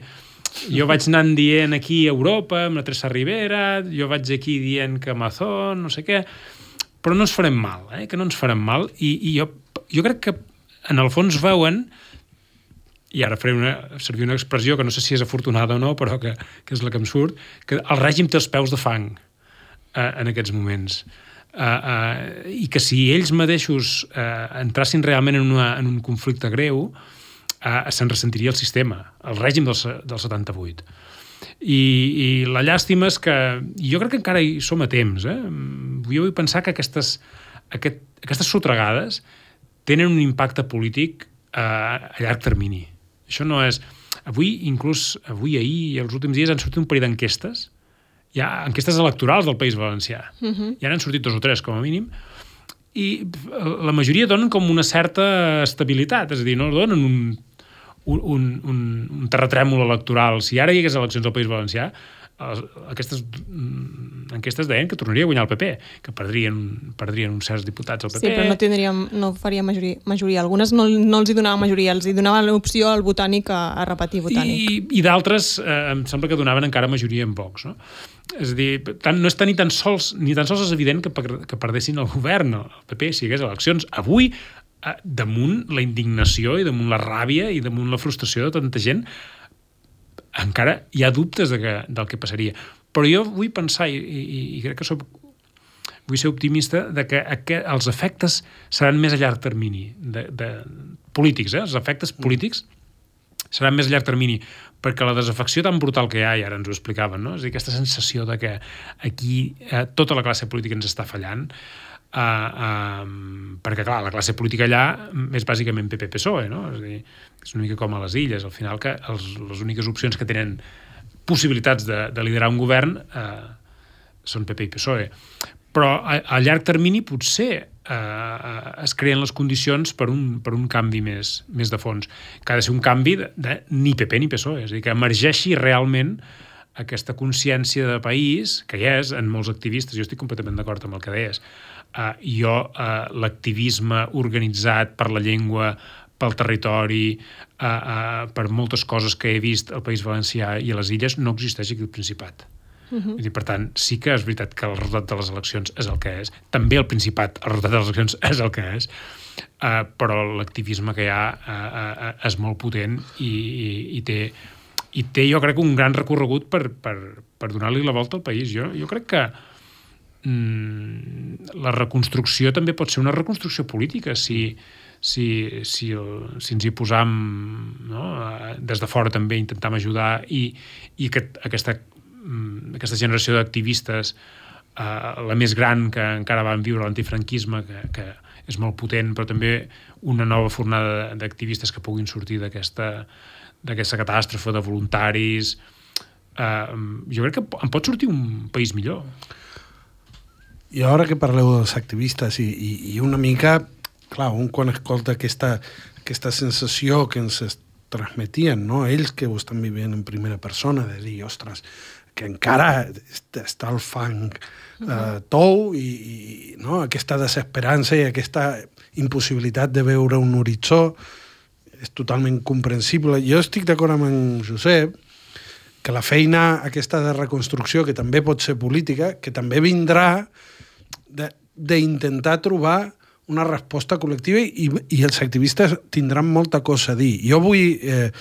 jo vaig anant dient aquí a Europa, amb la Teresa Rivera, jo vaig aquí dient que Amazon, no sé què, però no ens farem mal, eh? Que no ens farem mal. I, i jo, jo crec que en el fons veuen, i ara faré una, servir una expressió que no sé si és afortunada o no, però que, que és la que em surt, que el règim té els peus de fang. uh, en aquests moments. Uh, uh, I que si ells mateixos uh, entrassin realment en, una, en un conflicte greu, uh, se'n ressentiria el sistema, el règim del, del setanta-vuit. I, I la llàstima és que jo crec que encara hi som a temps. Eh? Jo vull pensar que aquestes, aquest, aquestes sotregades tenen un impacte polític uh, a llarg termini. Això no és... Avui, inclús avui, ahir i els últims dies han sortit un parell d'enquestes, hi ha enquestes electorals del País Valencià. Uh-huh. Ja n'han sortit dos o tres, com a mínim, i la majoria donen com una certa estabilitat, és a dir, no donen un, un, un, un terratrèmol electoral. Si ara hi hagués eleccions al País Valencià, aquestes enquestes deien que tornaria a guanyar el P P, que perdrien, perdrien uns certs diputats al P P. Sí, però no tindríem, no faria majoria. majoria. Algunes no, no els hi donaven majoria, els hi donaven l'opció al Botànic a, a repetir Botànic. I, i d'altres eh, em sembla que donaven encara majoria en Vox, no? És a dir, tant, no està ni tan sols ni tan sols és evident que, que perdessin el govern, el P P, si hi hagués eleccions. Avui, eh, damunt la indignació i damunt la ràbia i damunt la frustració de tanta gent, encara hi ha dubtes de que, del que passaria. Però jo vull pensar, i, i, i crec que soc, vull ser optimista, de que aquest, els efectes seran més a llarg termini, de, de polítics, eh? Els efectes polítics seran més a llarg termini, perquè la desafecció tan brutal que hi ha, i ara ens ho explicaven, no? És a dir, aquesta sensació de que aquí eh, tota la classe política ens està fallant, Uh, uh, perquè clar, la classe política allà és bàsicament P P P S O E, no? És a dir, és una mica com a les illes, al final que els, les úniques opcions que tenen possibilitats de, de liderar un govern uh, són P P i P S O E. Però a, a llarg termini potser uh, es creen les condicions per un, per un canvi més, més de fons, que ha de ser un canvi de, de ni P P ni P S O E, és a dir, que emergeixi realment aquesta consciència de país, que hi és en molts activistes, jo estic completament d'acord amb el que deies. Uh, jo, uh, l'activisme organitzat per la llengua, pel territori, uh, uh, per moltes coses que he vist al País Valencià i a les illes, no existeix aquí al Principat. Uh-huh. Vull dir, per tant, sí que és veritat que el resultat de les eleccions és el que és. També al Principat el resultat de les eleccions és el que és. Uh, però l'activisme que hi ha uh, uh, és molt potent i, i, i té... i té, jo crec, un gran recorregut per, per, per donar-li la volta al país. Jo, jo crec que mm, la reconstrucció també pot ser una reconstrucció política si, si, si, el, si ens hi posam, no? Des de fora també intentam ajudar i, i aquest, aquesta, aquesta generació d'activistes, eh, la més gran que encara van viure l'antifranquisme, que, que és molt potent, però també una nova fornada d'activistes que puguin sortir d'aquesta d'aquesta catàstrofe de voluntaris. Uh, jo crec que en pot sortir un país millor. I ara que parleu dels activistes i, i, i una mica, clar, un quan escolta aquesta, aquesta sensació que ens transmetien, no? Ells que ho estan vivint en primera persona, de dir, ostres, que encara està el fang uh, tou i, i no? Aquesta desesperança i aquesta impossibilitat de veure un horitzó és totalment comprensible. Jo estic d'acord amb en Josep que la feina aquesta de reconstrucció, que també pot ser política, que també vindrà d'intentar trobar una resposta col·lectiva i, i els activistes tindran molta cosa a dir. Jo vull eh,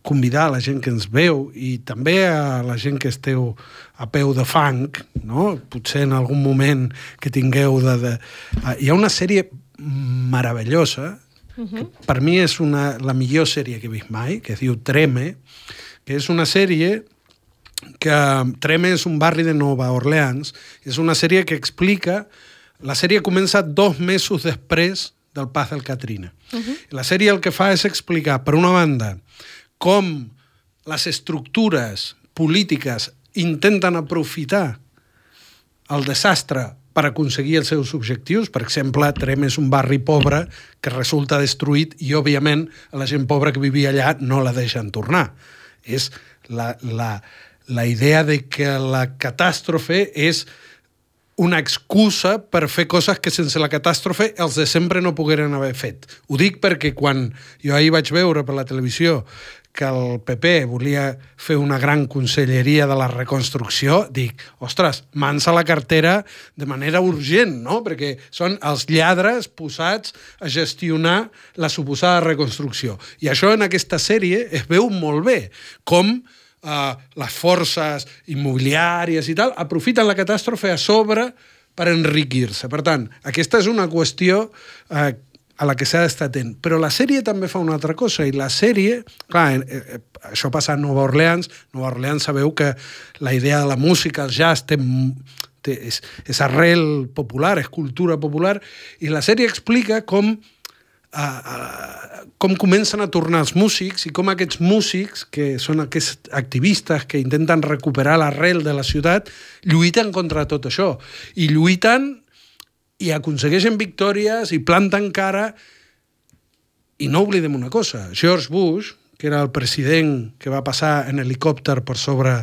convidar a la gent que ens veu i també a la gent que esteu a peu de fang, no? Potser en algun moment que tingueu de... de... Hi ha una sèrie meravellosa que per mi és una, la millor sèrie que he vist mai, que es diu Treme, que és una sèrie que Treme és un barri de Nova Orleans, és una sèrie que explica, la sèrie comença dos mesos després del pas del Katrina. Uh-huh. La sèrie el que fa és explicar, per una banda, com les estructures polítiques intenten aprofitar el desastre per aconseguir els seus objectius. Per exemple, Trem és un barri pobre que resulta destruït i, òbviament, a la gent pobra que vivia allà no la deixen tornar. És la, la, la idea de que la catàstrofe és una excusa per fer coses que sense la catàstrofe els de sempre no pogueren haver fet. Ho dic perquè quan jo ahir vaig veure per la televisió que el P P volia fer una gran conselleria de la reconstrucció, dic, ostres, mans a la cartera de manera urgent, no? Perquè són els lladres posats a gestionar la suposada reconstrucció. I això en aquesta sèrie es veu molt bé, com uh, les forces immobiliàries i tal, aprofiten la catàstrofe a sobre per enriquir-se. Per tant, aquesta és una qüestió uh, a la que s'ha d'estar atent. Però la sèrie també fa una altra cosa, i la sèrie, clar, eh, eh, això passa a Nova Orleans. Nova Orleans sabeu que la idea de la música, el jazz, té, té, és, és arrel popular, és cultura popular, i la sèrie explica com A, a, com comencen a tornar els músics i com aquests músics, que són aquests activistes que intenten recuperar l'arrel de la ciutat, lluiten contra tot això. I lluiten i aconsegueixen victòries i planten cara. I no oblidem una cosa, George Bush, que era el president que va passar en helicòpter per sobre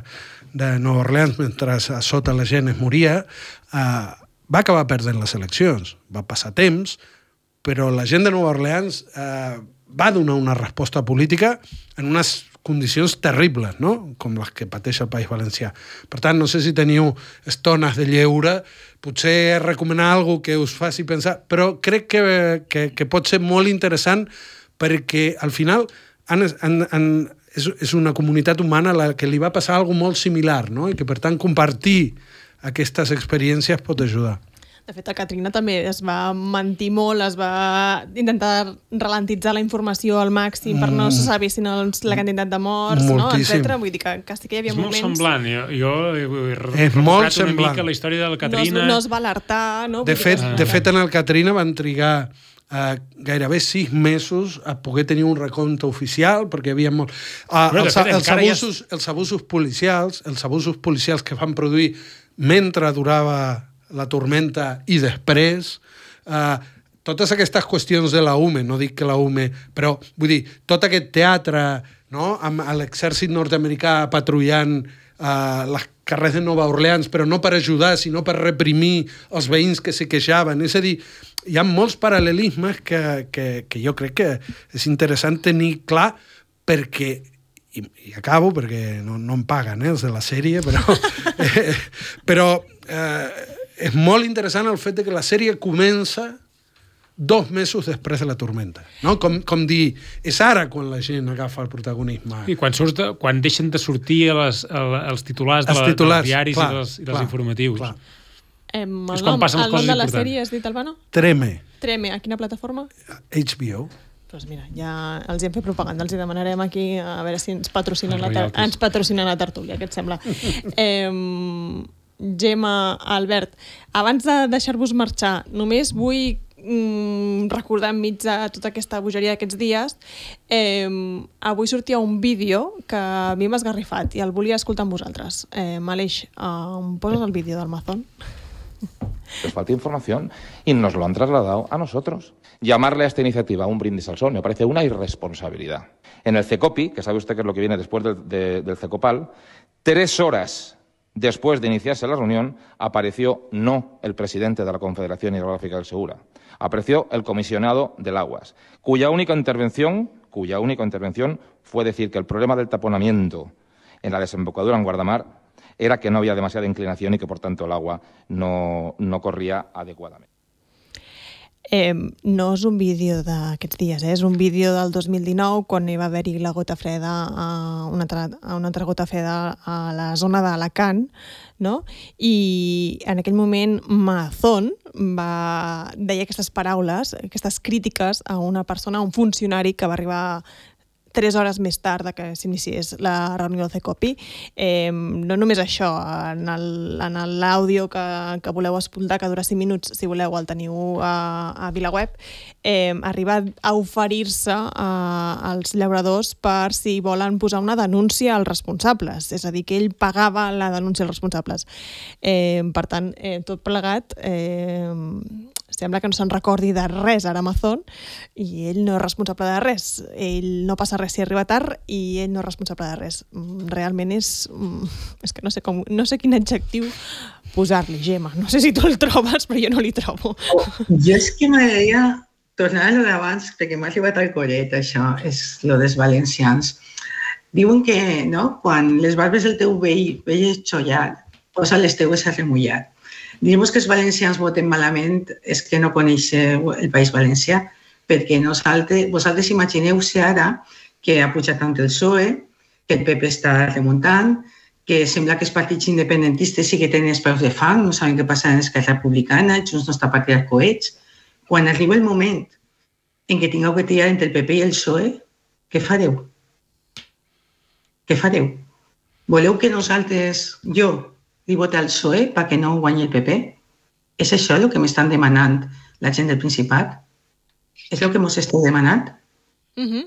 de Nova Orleans mentre a sota la gent es moria, eh, va acabar perdent les eleccions. Va passar temps, però la gent de Nova Orleans eh, va donar una resposta política en unes condicions terribles, no? Com les que pateix el País Valencià. Per tant, no sé si teniu estones de lleure, potser recomanar alguna que us faci pensar, però crec que, que, que pot ser molt interessant perquè al final han, han, han, és, és una comunitat humana a la que li va passar alguna molt similar, no? I que per tant compartir aquestes experiències pot ajudar. De fet, a Katrina també es va mentir molt, es va intentar ralentitzar la informació al màxim per no se saber si no la quantitat de morts, no? etcètera. Vull dir que, que sí que hi havia és moments... És molt semblant. Jo, jo he és molt una semblant. mica la història de la Katrina... No es, no es va alertar, no? De fet, que... de fet, en el Katrina van trigar uh, gairebé sis mesos a poder tenir un recompte oficial, perquè hi havia molt... Uh, Però, els, fet, els, abusos, ja... els abusos policials, els abusos policials que van produir mentre durava la tormenta i després, eh, totes aquestes qüestions de la U M E, no dic que la U M E, però vull dir, tot aquest teatre, no?, amb l'exèrcit nord-americà patrullant eh, les carrers de Nova Orleans, però no per ajudar, sinó per reprimir els veïns que se queixaven. És a dir, hi ha molts paral·lelismes que, que, que jo crec que és interessant tenir clar, perquè i, i acabo perquè no, no em paguen eh, els de la sèrie, però, eh, però eh, és molt interessant el fet de que la sèrie comença dos mesos després de la tormenta. No? Com, com dir, és ara quan la gent agafa el protagonisme. I quan, surt, quan deixen de sortir a les, a, als titulars, de la, titulars dels diaris clar, i dels, i dels clar, informatius. Clar. Eh, el nom, el nom de la sèrie has dit, Albano? Treme. Treme. A quina plataforma? H B O. Doncs mira, ja els hi hem fet propaganda, els hi demanarem aquí a veure si ens patrocinen, la, ens patrocinen la tertúlia, què et sembla? eh, Gemma, Albert, abans de deixar-vos marxar, només vull mm, recordar enmig de tota aquesta bogeria d'aquests dies, eh, avui sortia un vídeo que a mi m'ha esgarrifat i el volia escoltar amb vosaltres. Eh, Aleix, eh, em poses el vídeo del Mazón? Les falta información y nos lo han trasladado a nosotros. Llamarle a esta iniciativa un brindis al sol me parece una irresponsabilidad. En el CECOPI, que sabe usted que es lo que viene después del, de, del CECOPAL, tres horas después de iniciarse la reunión, apareció no el presidente de la Confederación Hidrográfica del Segura, apareció el comisionado del Aguas, cuya única intervención, cuya única intervención fue decir que el problema del taponamiento en la desembocadura en Guardamar era que no había demasiada inclinación y que, por tanto, el agua no, no corría adecuadamente. Eh, no és un vídeo d'aquests dies, eh? És un vídeo del dos mil dinou, quan hi va haver-hi la gota freda, a una, altra, a una altra gota freda a la zona d'Alacant, no? I en aquell moment Mazón va, deia aquestes paraules, aquestes crítiques a una persona, a un funcionari que va arribar tres hores més tard de que s'iniciés la reunió del CECOPI. Eh, no només això, en l'àudio que, que voleu escoltar, que dura cinc minuts, si voleu, el teniu a, a VilaWeb, eh, arriba a oferir-se als llauradors per si volen posar una denúncia als responsables. És a dir, que ell pagava la denúncia als responsables. Eh, per tant, eh, tot plegat... Eh, sembla que no se'n recordi de res ara Mazón i ell no és responsable de res. Ell no passa res si arriba tard i ell no és responsable de res. Realment és... És que no sé, com, no sé quin adjectiu posar-li, Gemma. No sé si tu el trobes, però jo no li trobo. Oh, jo és que m'agradaria tornar a lo d'abans, perquè m'ha arribat al collet, això, és lo dels valencians. Diuen que, no?, quan les barbes del teu veí veies xollat, posa les teues a remullar. Dir-vos que els valencians voten malament és que no coneixeu el País Valencià, perquè nosaltres, vosaltres imagineu-se ara que ha pujat tant el P S O E, que el P P està remuntant, que sembla que els partits independentistes sí que tenen els peus de fang, no saben què passa en Esquerra Republicana, Junts no està per tirar coets. Quan arriba el moment en què tingueu que triar entre el P P i el P S O E, què fareu? Què fareu? Voleu que nosaltres, jo, li vote al P S O E perquè no guanyi el P P? És això el que m'estan demanant la gent del Principat? És el que ens esteu demanant? Uh-huh.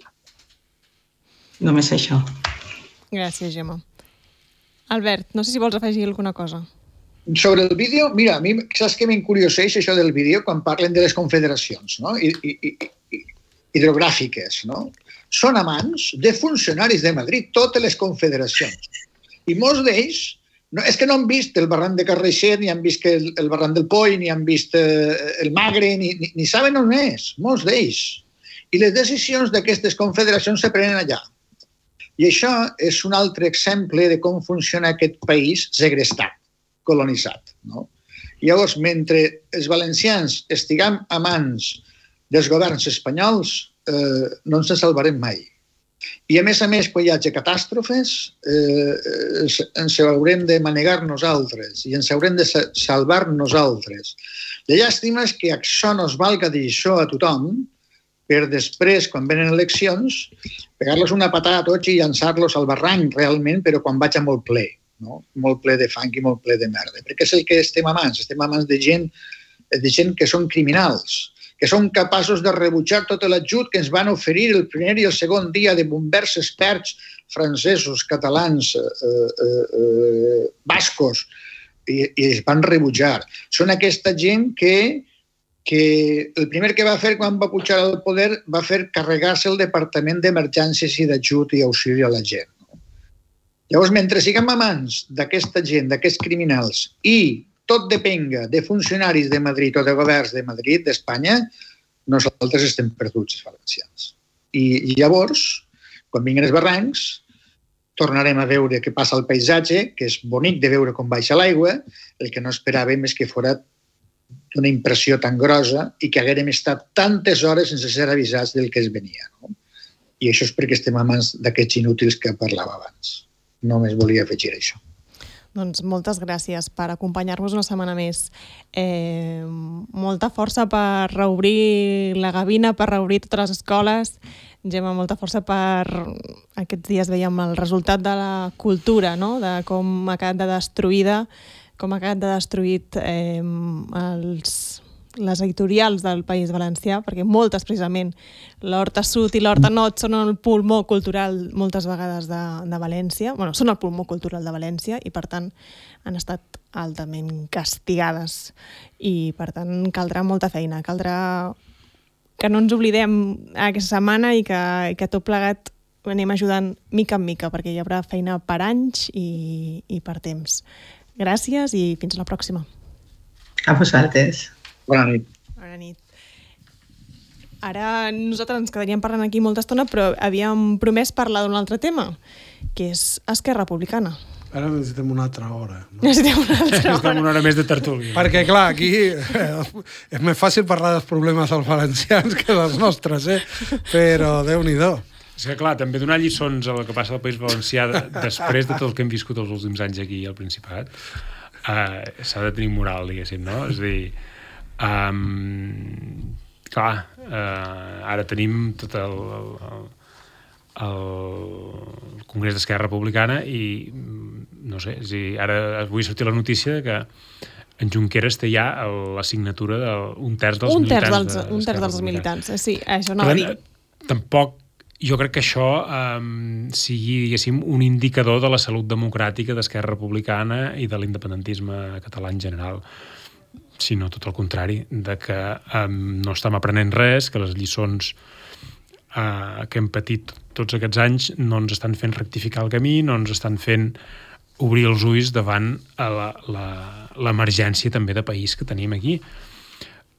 Només això. Gràcies, Gemma. Albert, no sé si vols afegir alguna cosa. Sobre el vídeo, mira, a mi saps que m'incurioseix això del vídeo quan parlen de les confederacions, no? I, i, i, hidrogràfiques, no? Són amants de funcionaris de Madrid, totes les confederacions. I molts d'ells, no, és que no han vist el barranc de Carraixet, ni han vist el, el barranc del Poll, ni han vist eh, el Magre, ni, ni, ni saben on és, molts d'ells. I les decisions d'aquestes confederacions se prenen allà. I això és un altre exemple de com funciona aquest país segrestat, colonitzat. No? Llavors, mentre els valencians estiguem a mans dels governs espanyols, eh, no ens en salvarem mai. I a més a més, quan hi hagi catàstrofes, eh, ens haurem de manegar nosaltres i ens haurem de salvar nosaltres. La llàstima és que això no es valga dir això a tothom, per després, quan venen eleccions, pegar-los una patada a tots i llançar-los al barranc realment, però quan vaig a molt ple, no? Molt ple de fang i molt ple de merda. Perquè és el que estem a mans, estem a mans de gent, de gent que són criminals, que són capaços de rebutjar tot l'ajut que ens van oferir el primer i el segon dia de bombers experts francesos, catalans, eh, eh, eh, bascos, i, i es van rebutjar. Són aquesta gent que que el primer que va fer quan va pujar al poder va fer carregar-se el Departament d'Emergències i d'Ajut i Auxili a la gent. Llavors, mentre siguem a mans d'aquesta gent, d'aquests criminals, i tot depenga de funcionaris de Madrid o de governs de Madrid, d'Espanya, nosaltres estem perduts, els valencians. I llavors, quan vinguin els barrancs, tornarem a veure què passa al paisatge, que és bonic de veure com baixa l'aigua, el que no esperàvem és que fos d'una impressió tan grossa i que haguérem estat tantes hores sense ser avisats del que es venia. No? I això és perquè estem a mans d'aquests inútils que parlava abans. Només volia afegir això. Doncs moltes gràcies per acompanyar-nos una setmana més. Eh, molta força per reobrir la gavina, per reobrir totes les escoles. Gemma, molta força per... Aquests dies veiem el resultat de la cultura, no? De com ha quedat de destruïda, com ha quedat de destruït eh, els, les editorials del País Valencià, perquè moltes, precisament, l'Horta Sud i l'Horta Nord són el pulmó cultural moltes vegades de, de València, bueno, són el pulmó cultural de València i, per tant, han estat altament castigades i, per tant, caldrà molta feina, caldrà que no ens oblidem aquesta setmana i que, i que tot plegat anem ajudant mica en mica, perquè hi haurà feina per anys i, i per temps. Gràcies i fins la pròxima. A vosaltres. Bona nit. Bona nit. Ara nosaltres ens quedaríem parlant aquí molta estona, però havíem promès parlar d'un altre tema, que és Esquerra Republicana. Ara necessitem una altra hora. No? Necessitem una altra hora. Necessitem una hora més de tertúlia. Perquè, clar, aquí eh, és més fàcil parlar dels problemes dels valencians que dels nostres, eh? Però Déu-n'hi-do. És que, clar, també donar lliçons a el que passa al País Valencià després de tot el que hem viscut els últims anys aquí al Principat, uh, s'ha de tenir moral, diguéssim, no? És a dir, um, clar, uh, ara tenim tot el, el, el Congrés d'Esquerra Republicana i, no sé, és a dir, ara avui sortir la notícia que en Junqueras té ja la signatura d'un terç dels un militants. Terç dels, un terç dels militants, sí, això no va dir. Tampoc jo crec que això um, sigui, diguéssim, un indicador de la salut democràtica d'Esquerra Republicana i de l'independentisme català en general, sinó tot el contrari, de que um, no estem aprenent res, que les lliçons uh, que hem patit tots aquests anys no ens estan fent rectificar el camí, no ens estan fent obrir els ulls davant l'emergència també de país que tenim aquí.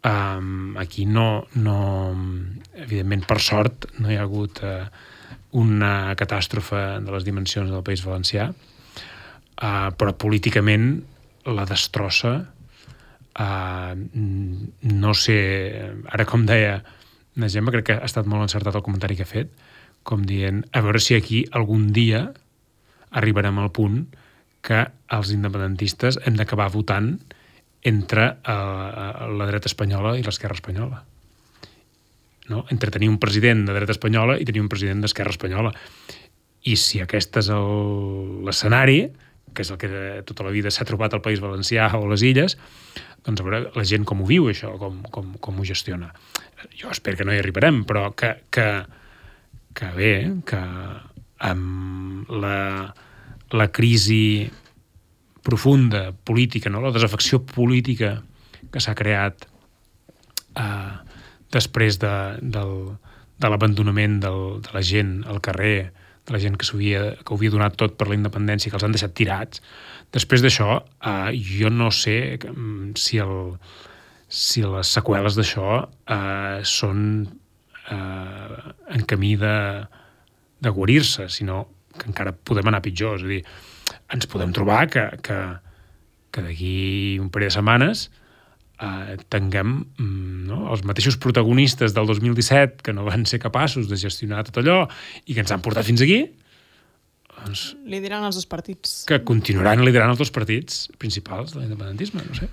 Um, aquí no, no, evidentment, per sort, no hi ha hagut uh, una catàstrofe de les dimensions del País Valencià, uh, però políticament la destrossa. Uh, no sé, ara com deia la Gemma, crec que ha estat molt encertat el comentari que ha fet, com dient, a veure si aquí algun dia arribarem al punt que els independentistes hem d'acabar votant entre uh, la dreta espanyola i l'esquerra espanyola. No? Entre tenir un president de dreta espanyola i tenir un president d'esquerra espanyola. I si aquest és l'escenari, que és el que tota la vida s'ha trobat al País Valencià o a les Illes, doncs a veure la gent com ho viu, això, com, com, com ho gestiona. Jo espero que no hi arribarem, però que, que, que bé, que amb la, la crisi profunda política, no? La desafecció política que s'ha creat eh, després de, del, de l'abandonament del, de la gent al carrer, de la gent que, que ho havia donat tot per la independència, que els han deixat tirats. Després d'això, eh, jo no sé si, el, si les seqüeles d'això eh, són eh, en camí de, de guarir-se, sinó que encara podem anar pitjor. És a dir, ens podem trobar que, que, que d'aquí un parell de setmanes eh, tinguem no, els mateixos protagonistes del dos mil disset que no van ser capaços de gestionar tot allò i que ens han portat fins aquí, doncs, liderant els dos partits. Que continuaran liderant els dos partits principals de l'independentisme, no sé.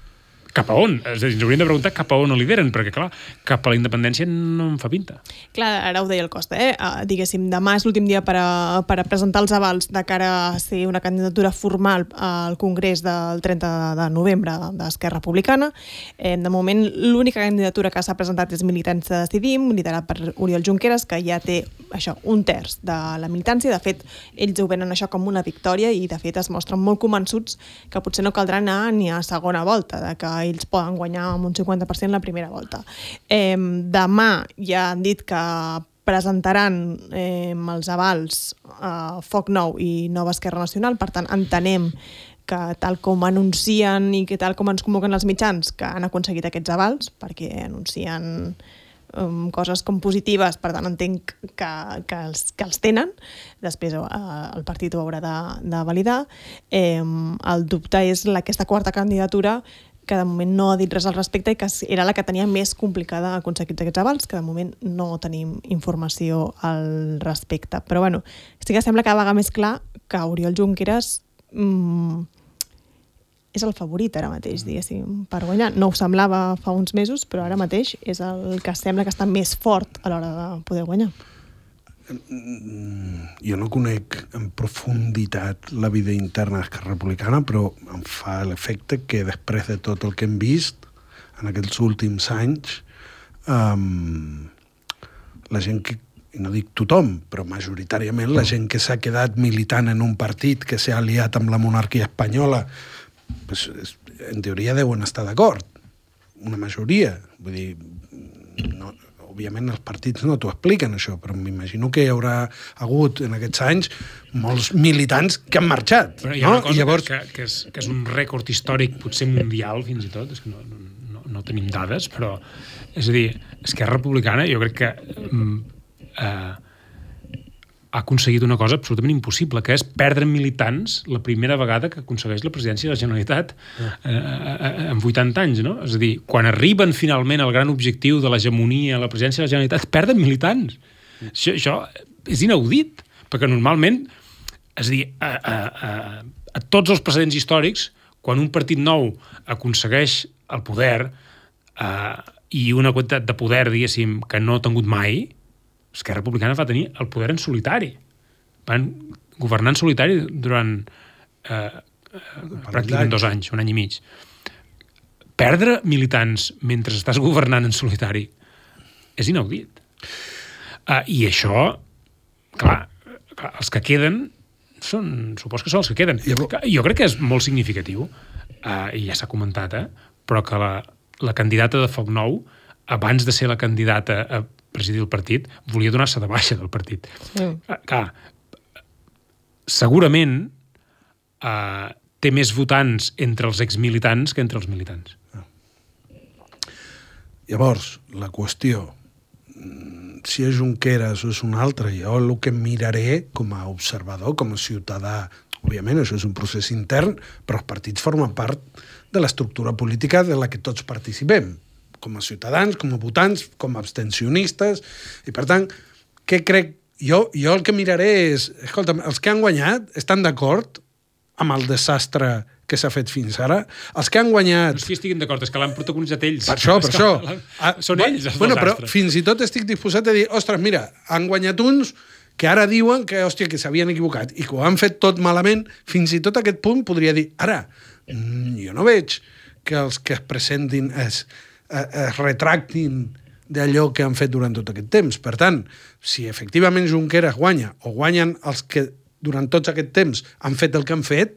Cap a on? És a dir, ens hauríem de preguntar cap a on ho lideren, perquè, clar, cap a la independència no em fa pinta. Clar, ara ho deia el Costa, eh? Uh, diguéssim, demà és l'últim dia per a, per a presentar els avals de cara a ser una candidatura formal al Congrés del trenta de novembre d'Esquerra Republicana. Eh, de moment, l'única candidatura que s'ha presentat és Militants Decidim, liderat per Oriol Junqueras, que ja té això, un terç de la militància. De fet, ells ho venen això com una victòria i, de fet, es mostren molt convençuts que potser no caldrà anar ni a segona volta, de que ells poden guanyar amb un cinquanta per cent la primera volta. Eh, demà ja han dit que presentaran eh, els avals a Foc Nou i Nova Esquerra Nacional, per tant entenem que tal com anuncien i que tal com ens convoquen els mitjans, que han aconseguit aquests avals, perquè anuncien um, coses com positives, per tant entenc que, que, els, que els tenen, després eh, el partit ho haurà de, de validar. Eh, el dubte és la, aquesta quarta candidatura, que de moment no ha dit res al respecte i que era la que tenia més complicada aconseguir aquests avals, que de moment no tenim informació al respecte. Però bueno, sí que sembla cada vegada més clar que Oriol Junqueras mmm, és el favorit ara mateix, diguéssim, per guanyar. No ho semblava fa uns mesos, però ara mateix és el que sembla que està més fort a l'hora de poder guanyar. Jo no conec en profunditat la vida interna d'Esquerra Republicana, però em fa l'efecte que després de tot el que hem vist en aquests últims anys, um, la gent que, i no dic tothom, però majoritàriament la gent que s'ha quedat militant en un partit que s'ha aliat amb la monarquia espanyola, pues, en teoria deuen estar d'acord. Una majoria. Vull dir, no... òbviament els partits no t'ho expliquen això, però m'imagino que hi haurà hagut en aquests anys molts militants que han marxat. Però hi ha no? una cosa I llavors... que, que, és, que és un rècord històric, potser mundial fins i tot, és que no, no, no tenim dades, però és a dir, Esquerra Republicana jo crec que eh, ha aconseguit una cosa absolutament impossible, que és perdre militants la primera vegada que aconsegueix la presidència de la Generalitat eh, eh, en vuitanta anys, no? És a dir, quan arriben finalment al gran objectiu de l'hegemonia a la presidència de la Generalitat, perden militants. Això, això és inaudit, perquè normalment, és a dir, a, a, a, a tots els precedents històrics, quan un partit nou aconsegueix el poder eh, i una quantitat de poder, diguéssim, que no ha tingut mai, Esquerra Republicana va tenir el poder en solitari. Van governar en solitari durant eh, eh, pràcticament dos anys, un any i mig. Perdre militants mentre estàs governant en solitari és inaudit. Uh, I això, clar, clar, els que queden són, supos que són els que queden. Jo crec que és molt significatiu, uh, i ja s'ha comentat, eh, però que la, la candidata de Foc Nou, abans de ser la candidata a presidir el partit, volia donar-se de baixa del partit. Sí. Uh, clar, segurament uh, té més votants entre els exmilitants que entre els militants. Llavors, la qüestió, si és Junqueras o és un altre, jo el que miraré com a observador, com a ciutadà, òbviament això és un procés intern, però els partits formen part de l'estructura política de la que tots participem, com a ciutadans, com a votants, com a abstencionistes, i per tant, què crec jo, jo el que miraré és... Escolta, els que han guanyat estan d'acord amb el desastre que s'ha fet fins ara? Els que han guanyat... No és que estiguin d'acord, és que l'han protagonitzat ells. Per això, per això. Ah, són ells els bueno, desastres. Però fins i tot estic disposat a dir, ostres, mira, han guanyat uns que ara diuen que, hòstia, que s'havien equivocat i que ho han fet tot malament. Fins i tot a aquest punt podria dir, ara, jo no veig que els que es presentin es, es retractin d'allò que han fet durant tot aquest temps. Per tant, si efectivament Junqueras guanya o guanyen els que durant tots aquest temps han fet el que han fet,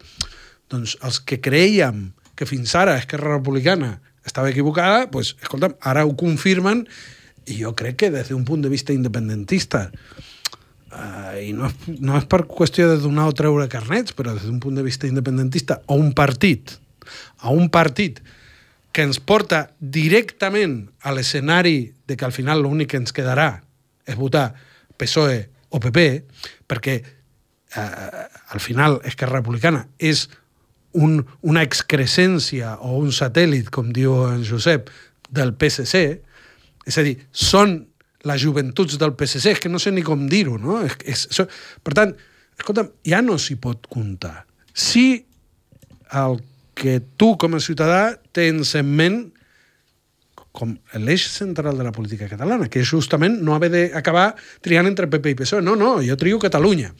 doncs els que creiem que fins ara Esquerra Republicana estava equivocada, doncs, escolta'm, ara ho confirmen i jo crec que des d'un punt de vista independentista, uh, i no és, no és per qüestió de donar o treure carnets, però des d'un punt de vista independentista, a un partit, a un partit que ens porta directament a l'escenari de que al final l'únic que ens quedarà és votar P S O E o P P, perquè uh, al final Esquerra Republicana és un, una excrescència o un satèl·lit, com diu en Josep, del P S C, és a dir, són les joventuts del P S C, és que no sé ni com dir-ho, no? És, és, és, per tant, escolta'm, ja no s'hi pot comptar. Si el que tu, com a ciutadà, tens en ment com l'eix central de la política catalana, que és justament no haver d'acabar triant entre P P i P S O E. No, no, jo trio Catalunya.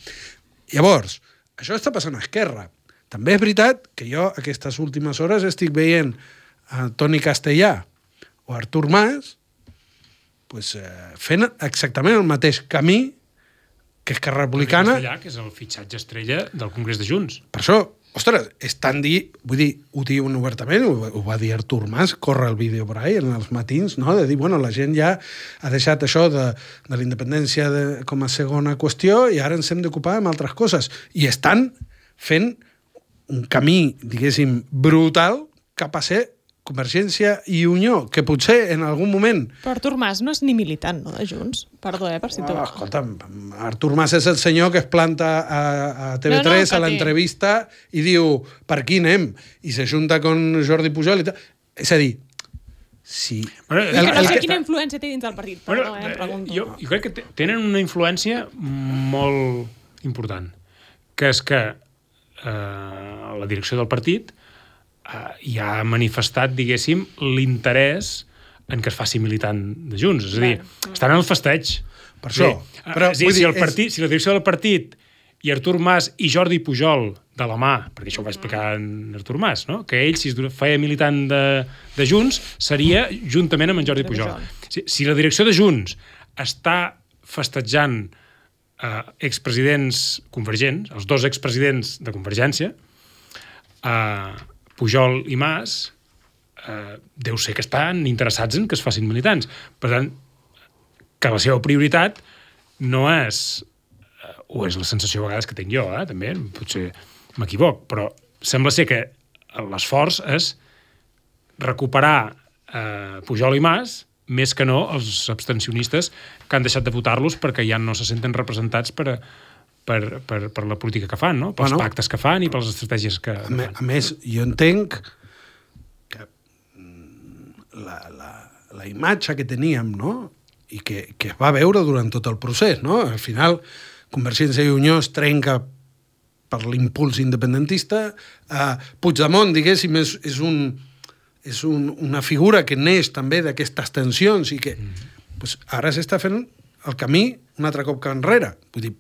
Llavors, això està passant a Esquerra. També és veritat que jo aquestes últimes hores estic veient a Toni Castellà o Artur Mas pues, eh, fent exactament el mateix camí que Esquerra Republicana... Castellà, que és el fitxatge estrella del Congrés de Junts. Per això, ostres, és tan dir... Vull dir, ho diuen obertament, ho, ho va dir Artur Mas, corre el vídeo per ahí, en els matins, no? De dir, bueno, la gent ja ha deixat això de, de la independència de, com a segona qüestió i ara ens hem d'ocupar amb altres coses. I estan fent un camí, diguéssim, brutal cap a ser Convergència i Unió, que potser en algun moment... Però Artur Mas no és ni militant, no, de Junts? Perdó, eh, per si oh, escolta'm, Artur Mas és el senyor que es planta a, a T V tres no, no, a l'entrevista i diu, per aquí anem? I s'ajunta con Jordi Pujol i tal. És a dir, sí... Bueno, el, que no sé quina influència té dins del partit, perdó, bueno, eh, em pregunto. Jo, jo crec que tenen una influència molt important, que és que eh, la direcció del partit eh, ja ha manifestat, diguéssim, l'interès en que es faci militant de Junts. És a dir, estan en el festeig. Per això. Sí. Però, és a dir, si, el partit, és... si la direcció del partit i Artur Mas i Jordi Pujol de la mà, perquè això ho va explicar en Artur Mas, no? Que ell, si es feia militant de, de Junts, seria juntament amb en Jordi Pujol. Si, si la direcció de Junts està festejant eh, expresidents convergents, els dos expresidents de Convergència, eh, Pujol i Mas, eh, deu ser que estan interessats en que es facin militants. Per tant, que la seva prioritat no és, eh, o és la sensació a vegades que tinc jo, eh, també, potser m'equivoc, però sembla ser que l'esforç és recuperar eh, Pujol i Mas, més que no els abstencionistes que han deixat de votar-los perquè ja no se senten representats per, per, per, per la política que fan, no? Pels bueno, pactes que fan i per les estratègies que, que a, fan. A més, jo entenc que la, la, la imatge que teníem, no? I que, que es va veure durant tot el procés, no? Al final, Convergència i Unió es trenca per l'impuls independentista. Uh, Puigdemont, diguéssim, és, és un... és un, una figura que neix també d'aquestes tensions i que mm. pues, ara s'està fent el camí un altre cop que enrere. Vull dir,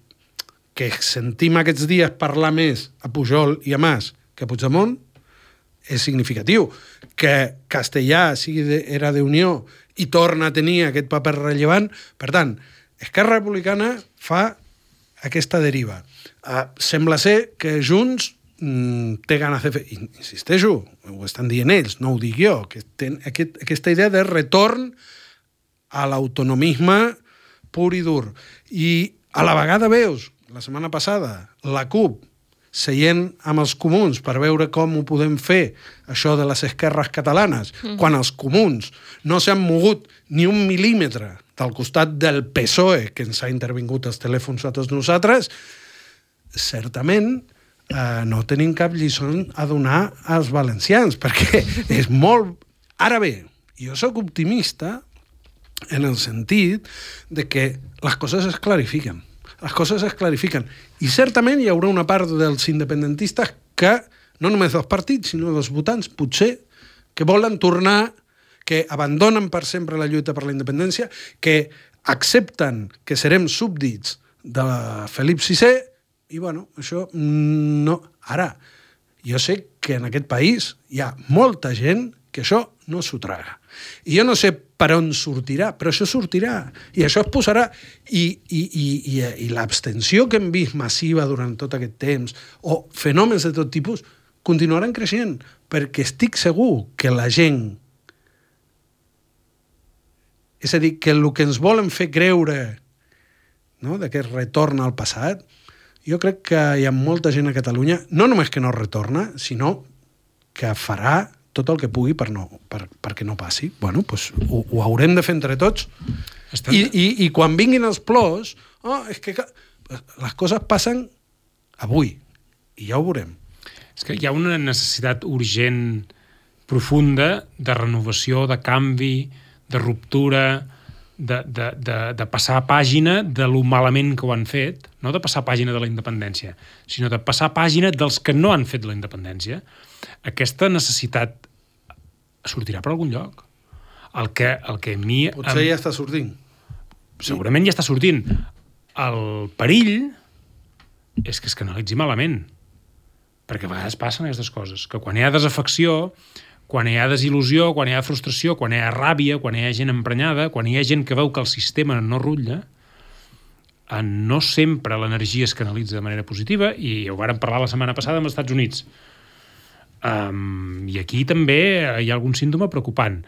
que sentim aquests dies parlar més a Pujol i a Mas que a Puigdemont és significatiu. Que Castellà sigui de, era d'Unió i torna a tenir aquest paper rellevant. Per tant, Esquerra Republicana fa aquesta deriva. Uh, sembla ser que Junts té ganes de fer, insisteixo, ho estan dient ells, no ho dic jo, que ten aquest, aquesta idea de retorn a l'autonomisme pur i dur. I a la vegada veus, la setmana passada, la CUP seient amb els comuns per veure com ho podem fer, això de les esquerres catalanes, mm. quan els comuns no s'han mogut ni un mil·límetre del costat del P S O E, que ens ha intervingut els telèfons a tots nosaltres, certament Uh, no tenim cap lliçó a donar als valencians, perquè és molt... Ara bé, jo sóc optimista en el sentit de que les coses es clarifiquen. les coses es clarifiquen. I certament hi haurà una part dels independentistes que, no només dels partits, sinó dels votants, potser que volen tornar, que abandonen per sempre la lluita per la independència, que accepten que serem súbdits de Felip sisè, i bueno, això no... Ara, jo sé que en aquest país hi ha molta gent que això no s'ho traga. I jo no sé per on sortirà, però això sortirà. I això es posarà... I, i, i, i, i l'abstenció que hem vist massiva durant tot aquest temps, o fenòmens de tot tipus, continuaran creixent, perquè estic segur que la gent... És a dir, que el que ens volen fer creure, no?, de que es retorna al passat, jo crec que hi ha molta gent a Catalunya, no només que no retorna, sinó que farà tot el que pugui per no, per, perquè no passi. Bueno, doncs ho, ho haurem de fer entre tots. I, i, i quan vinguin els plors, oh, és que les coses passen avui, i ja ho veurem. És que hi ha una necessitat urgent, profunda, de renovació, de canvi, de ruptura, de, de, de, de passar pàgina de lo malament que ho han fet, no de passar pàgina de la independència, sinó de passar pàgina dels que no han fet la independència. Aquesta necessitat sortirà per algun lloc. El que, el que a mi... Potser em... ja està sortint. Segurament ja està sortint. El perill és que es canalitzi malament. Perquè a vegades passen aquestes coses. Que quan hi ha desafecció, quan hi ha desil·lusió, quan hi ha frustració, quan hi ha ràbia, quan hi ha gent emprenyada, quan hi ha gent que veu que el sistema no rutlla, no sempre l'energia es canalitza de manera positiva, i ho vàrem parlar la setmana passada amb els Estats Units. Um, I aquí també hi ha algun símptoma preocupant.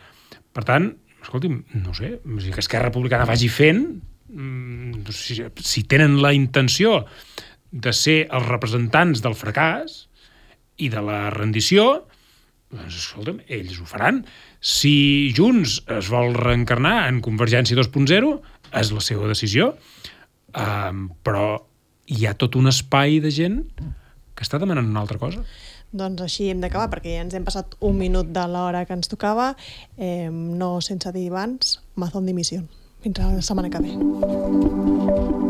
Per tant, escolti'm, no sé, que Esquerra Republicana vagi fent, um, si, si tenen la intenció de ser els representants del fracàs i de la rendició, doncs, escolta'm, ells ho faran. Si Junts es vol reencarnar en Convergència dos punt zero, és la seva decisió, um, però hi ha tot un espai de gent que està demanant una altra cosa. Doncs així hem d'acabar, perquè ja ens hem passat un minut de l'hora que ens tocava, eh, no sense dir abans, Mazón dimisión. Fins la setmana que ve.